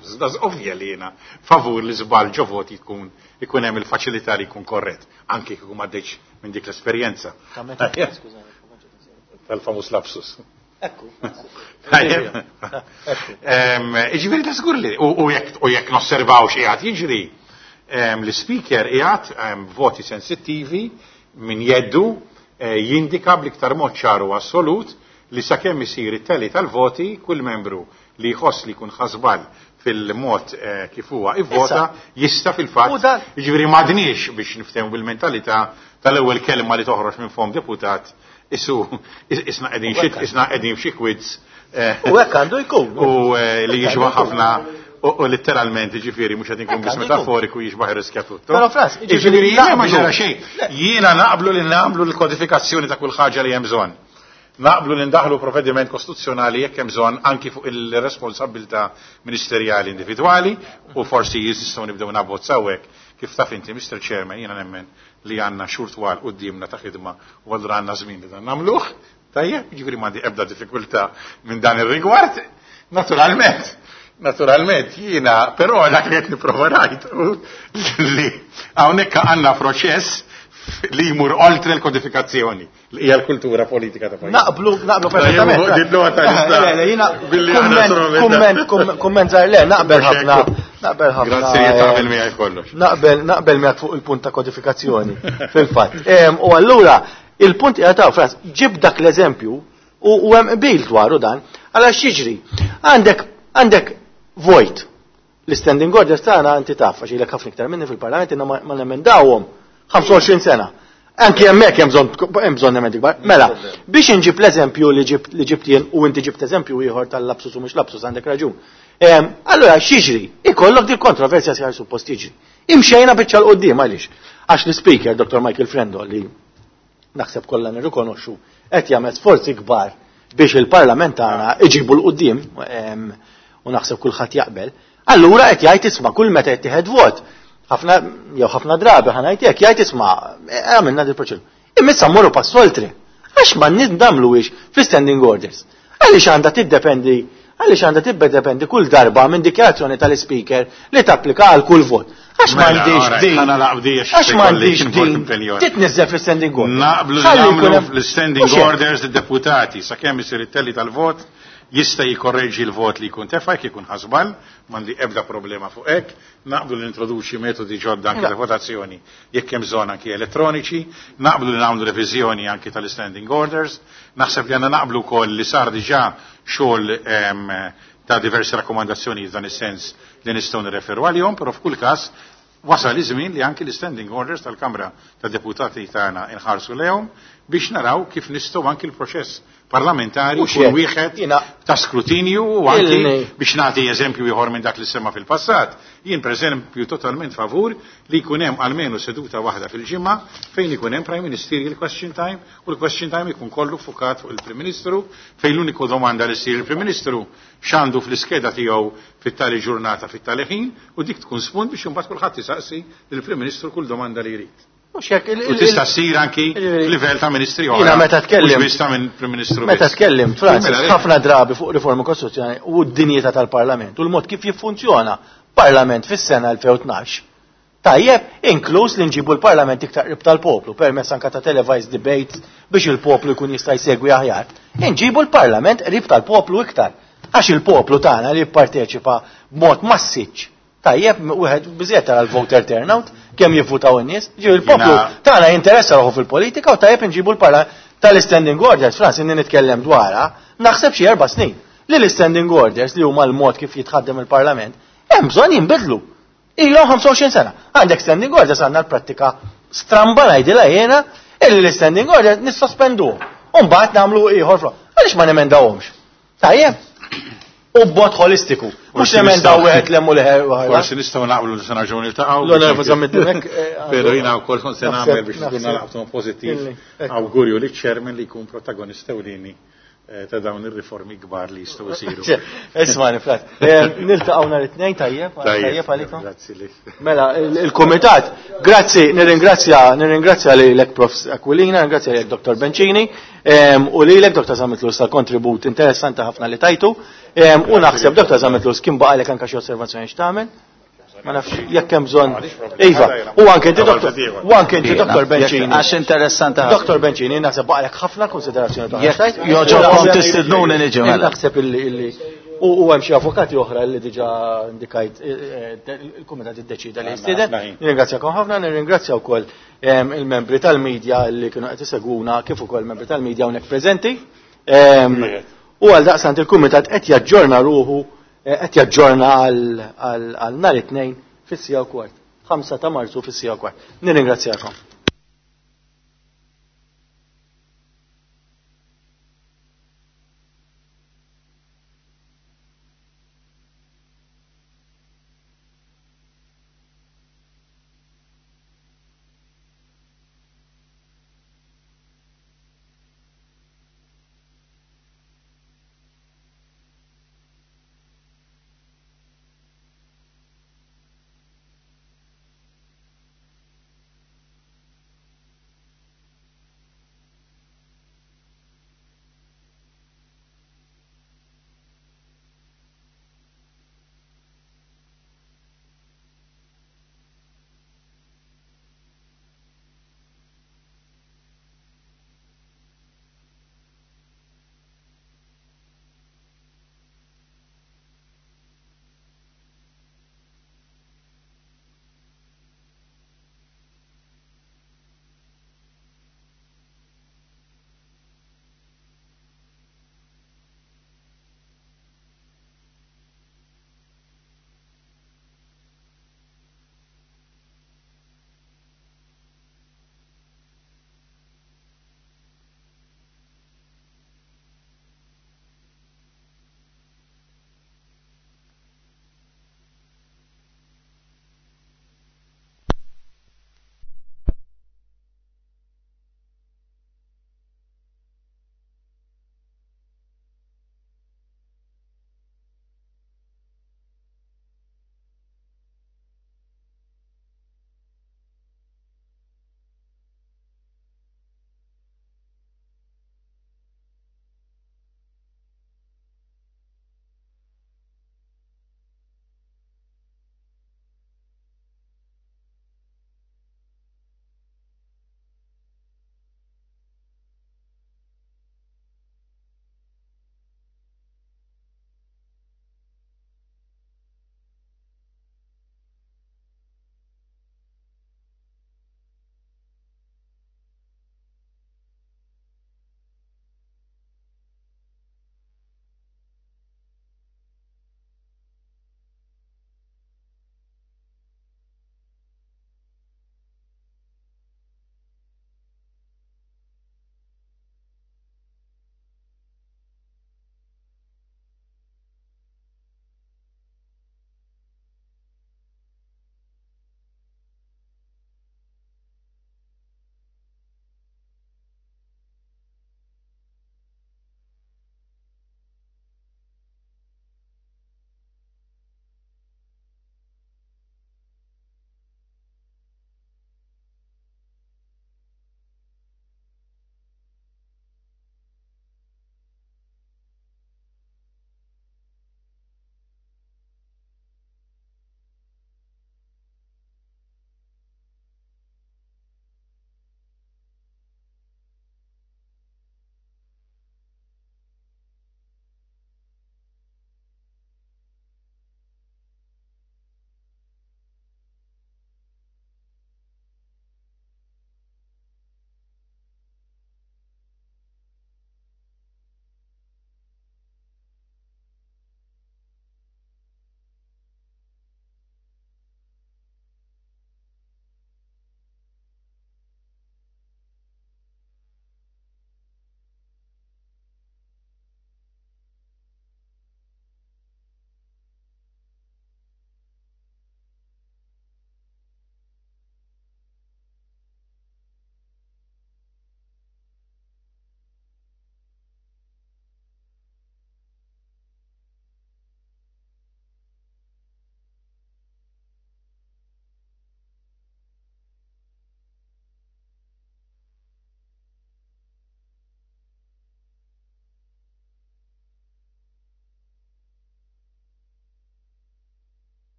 ovvja li jiena favur li żball ġo voti jkun ikun hemm il-faċilità li jkun korrett, anki kieku m'għaddejx minn dik l-esperjenza. Tal-famuż lapsus. Ekku. Tajjeb. Jiġifieri ta' żgur li u jekk nosservaw x'qiegħed jiġri, l-ispeaker qiegħed voti sensittivi minn jeddu jindika bl-iktar mod ċar u assolut li sakemm isir it-tally tal-voti kull membru li jħoss li jkun ħa żball fil-mod kif huwa ivvota jista' fil-fatt. Jiġifieri m'għadniex biex niftehmu bil-mentalità tal-ewwel kelma li toħroġ minn fom deputat isu isna qegħdin xi isna qegħdin f'xi quiz. U hekk għandu jkun. U li jixbaħ ħafna u letteralment ġifieri mhux qed inkun biss metaforiku jixbaħ riskja tutto. Però Frans, ġifieri jiena ma ġara xejn. Jiena naqblu li nagħmlu l-kodifikazzjoni ta' kull ħaġa li hemm bżonn. Naqblu li ndaħlu provvediment kostituzzjonali jekk hemm bżonn anki fuq il-responsabilità ministerjali individwali u forsi jistgħu nibdew nabbozzaw hekk kif taf inti Mr. Chairman jiena nemmen li għandna xhur twal quddiemna ta' ħidma u allura għandna żmien li dan nagħmluh. Tajjeb, jiġifieri m'għandi ebda diffikultà minn dan ir-rigward. Naturalment, naturalment jiena però dak li qed nipprova ngħid li hawnhekk għandna proċess li jmur oltre l-kodifikazzjoni li hija l-kultura politika ta' pajjiż. Naqblu, naqblu perfettament. Kumment, kumment żgħir le, naqbel ħafna. Naqbel ħafna. Grazzi li tagħmel miegħi kollox. Naqbel, naqbel miegħek fuq il-punt ta' kodifikazzjoni fil-fatt. U allura il-punt qiegħed hawn, Frans, ġib dak l-eżempju u hemm qbil dwaru dan, għala x'jiġri? Għandek vojt. L-standing orders tagħna inti taf għax ilek ħafna iktar minni fil-Parlament inna ma nemendawhom 25 sena. Anki hemmhekk hemm bżonn emendi kbar. Mela, biex inġib l-eżempju li ġibt jien u inti ġibt eżempju ieħor tal-lapsus u mhux lapsus għandek raġun. Allura x'jiġri? Ikollok dil kontroversja sħar suppost jiġri. Imxejna biċċa 'l quddiem għaliex? Għax l-speaker Dr. Michael Frendo li naħseb kollha nirrikonoxxu qed jagħmel sforzi kbar biex il-Parlament tagħna iġibu 'l quddiem u naħseb kulħadd jaqbel. Allura qed jgħid isma' kull meta jittieħed vot ħafna jew ħafna drabi ħa ngħid hekk jgħid isma' għamilna dil proċedura. Imma issa mmorru pass oltre. Għax ma nidamluwiex fl-standing orders. Għaliex għandha tiddependi għaliex għandha tiddependi kull darba minn dikjarazzjoni tal-speaker li tapplika għal kull vot. Għax m'għandix din. Għax m'għandix din. Titniżżel fl-standing orders. Naqblu nagħmlu fl-standing orders id-deputati sakemm isir it-tally tal-vot jista' jikorreġi l-vot li jkun tefa' jekk ikun ħa żball, m'għandi ebda problema fuq hekk, naqblu li introduċi metodi ġodda anke ta' votazzjoni jekk hemm bżonn anki elettroniċi, naqblu li nagħmlu reviżjoni anki tal-standing orders, naħseb li għandna naqblu wkoll li sar diġà xogħol ta' diversi rakkomandazzjoni f'dan is-sens li nistgħu nirreferu għalihom, però f'kull każ wasal iż-żmien li anki l-standing orders tal-Kamra tad-Deputati tagħna inħarsu lejhom biex naraw kif nistgħu anki l-proċess parlamentari jkun wieħed ta' skrutinju u anki biex nagħti eżempju ieħor minn dak li semma fil-passat. Jien pereżempju totalment favur li jkun hemm almenu seduta waħda fil-ġimgħa fejn ikun hemm Prime Ministerial Question Time u l-Question Time ikun kollu fukat fuq il-Prim Ministru fejn l-uniku domanda li ssir il-Prim Ministru x'għandu fl-iskeda tiegħu fit-tali ġurnata fit-tali ħin u dik tkun spunt biex imbagħad kulħadd isaqsi lill-Prim Ministru kull domanda li jrid. Mhux hekk U tista' ssir anki f'livell ta' ministri oħra. Jiena meta tkellim. Mhux biss ta' minn Prim Ministru. Meta tkellim, Francis, ħafna drabi fuq riforma kostituzzjonali u d-dinjità tal-Parlament u l-mod kif jiffunzjona Parlament fis-sena 2012. Tajjeb, inkluż li nġibu l-Parlament iktar qrib tal-poplu permezz anka ta' televised debates biex il-poplu jkun jista' jsegwi aħjar. Inġibu l-Parlament qrib tal-poplu iktar. Għax il-poplu tagħna li jipparteċipa b'mod massiċ. Tajjeb, wieħed biżejjed tara l-voter turnout, kemm jivvutaw in-nies, ġi il-poplu tagħna jinteressa ruħu fil-politika u tajjeb inġibu l-Parlament tal-standing orders, Frans, inni nitkellem dwarha, naħseb xi 4 snin. Li l-standing orders li huma l-mod kif jitħaddem il-Parlament, hemm bżonn jinbidlu. Ilhom 25 sena. Għandek standing orders għandna l-prattika stramba ngħidilha jiena illi l-standing orders nissospenduhom. U mbagħad nagħmlu ieħor fl. Għaliex ma nemendawhomx? Tajjeb. U b'mod holistiku. Mhux nemendaw wieħed lemmu liħer waħda. Forsi nistgħu naqblu li se nerġgħu niltaqgħu. L-Onorevoli Zammit Dimech. Però jiena wkoll kont se nagħmel biex tkun nalaqtu pożittiv. Awgurju li ċermen li jkun protagonista ewlieni ta' dawn ir-riformi kbar li jistgħu jsiru. Ismani, Frat. Niltaqgħu nhar it-tnejn tajjeb, tajjeb għalikom. Grazzi li. Mela, il-kumitat, grazzi, nirringrazzja lilek Prof Aquilina, nirringrazzja lilek Dr. Bencini, u lilek Dr. Zammit Lewis tal-kontribut interessanti ħafna li tajtu. U naħseb Dr. Zammit Lewis kien baqalek anke xi osservazzjoni x'tagħmel. Ma nafx jekk hemm bżonn. Iva, u anke inti doktor, u anke inti doktor Bencini. Għax interessanti. Doktor Bencini, naħseb baqalek ħafna konsiderazzjoni ta' Jekk joġobkom tistidnuni niġi mela. Naħseb illi u hemm xi avukati oħra li diġà indikajt eh, eh, il-kumitat iddeċida li jistieden. Nirringrazzjakom ħafna, nirringrazzja wkoll il-membri tal-medja li kienu qed isegwuna kif ukoll membri tal-medja hawnhekk preżenti. U għal daqsant il-kumitat qed jaġġorna ruħu eh, qed jaġġorna għal nhar it-tnejn fis-sija u kwart. 5 ta' Marzu fis-sija u kwart. Nirringrazzjakom.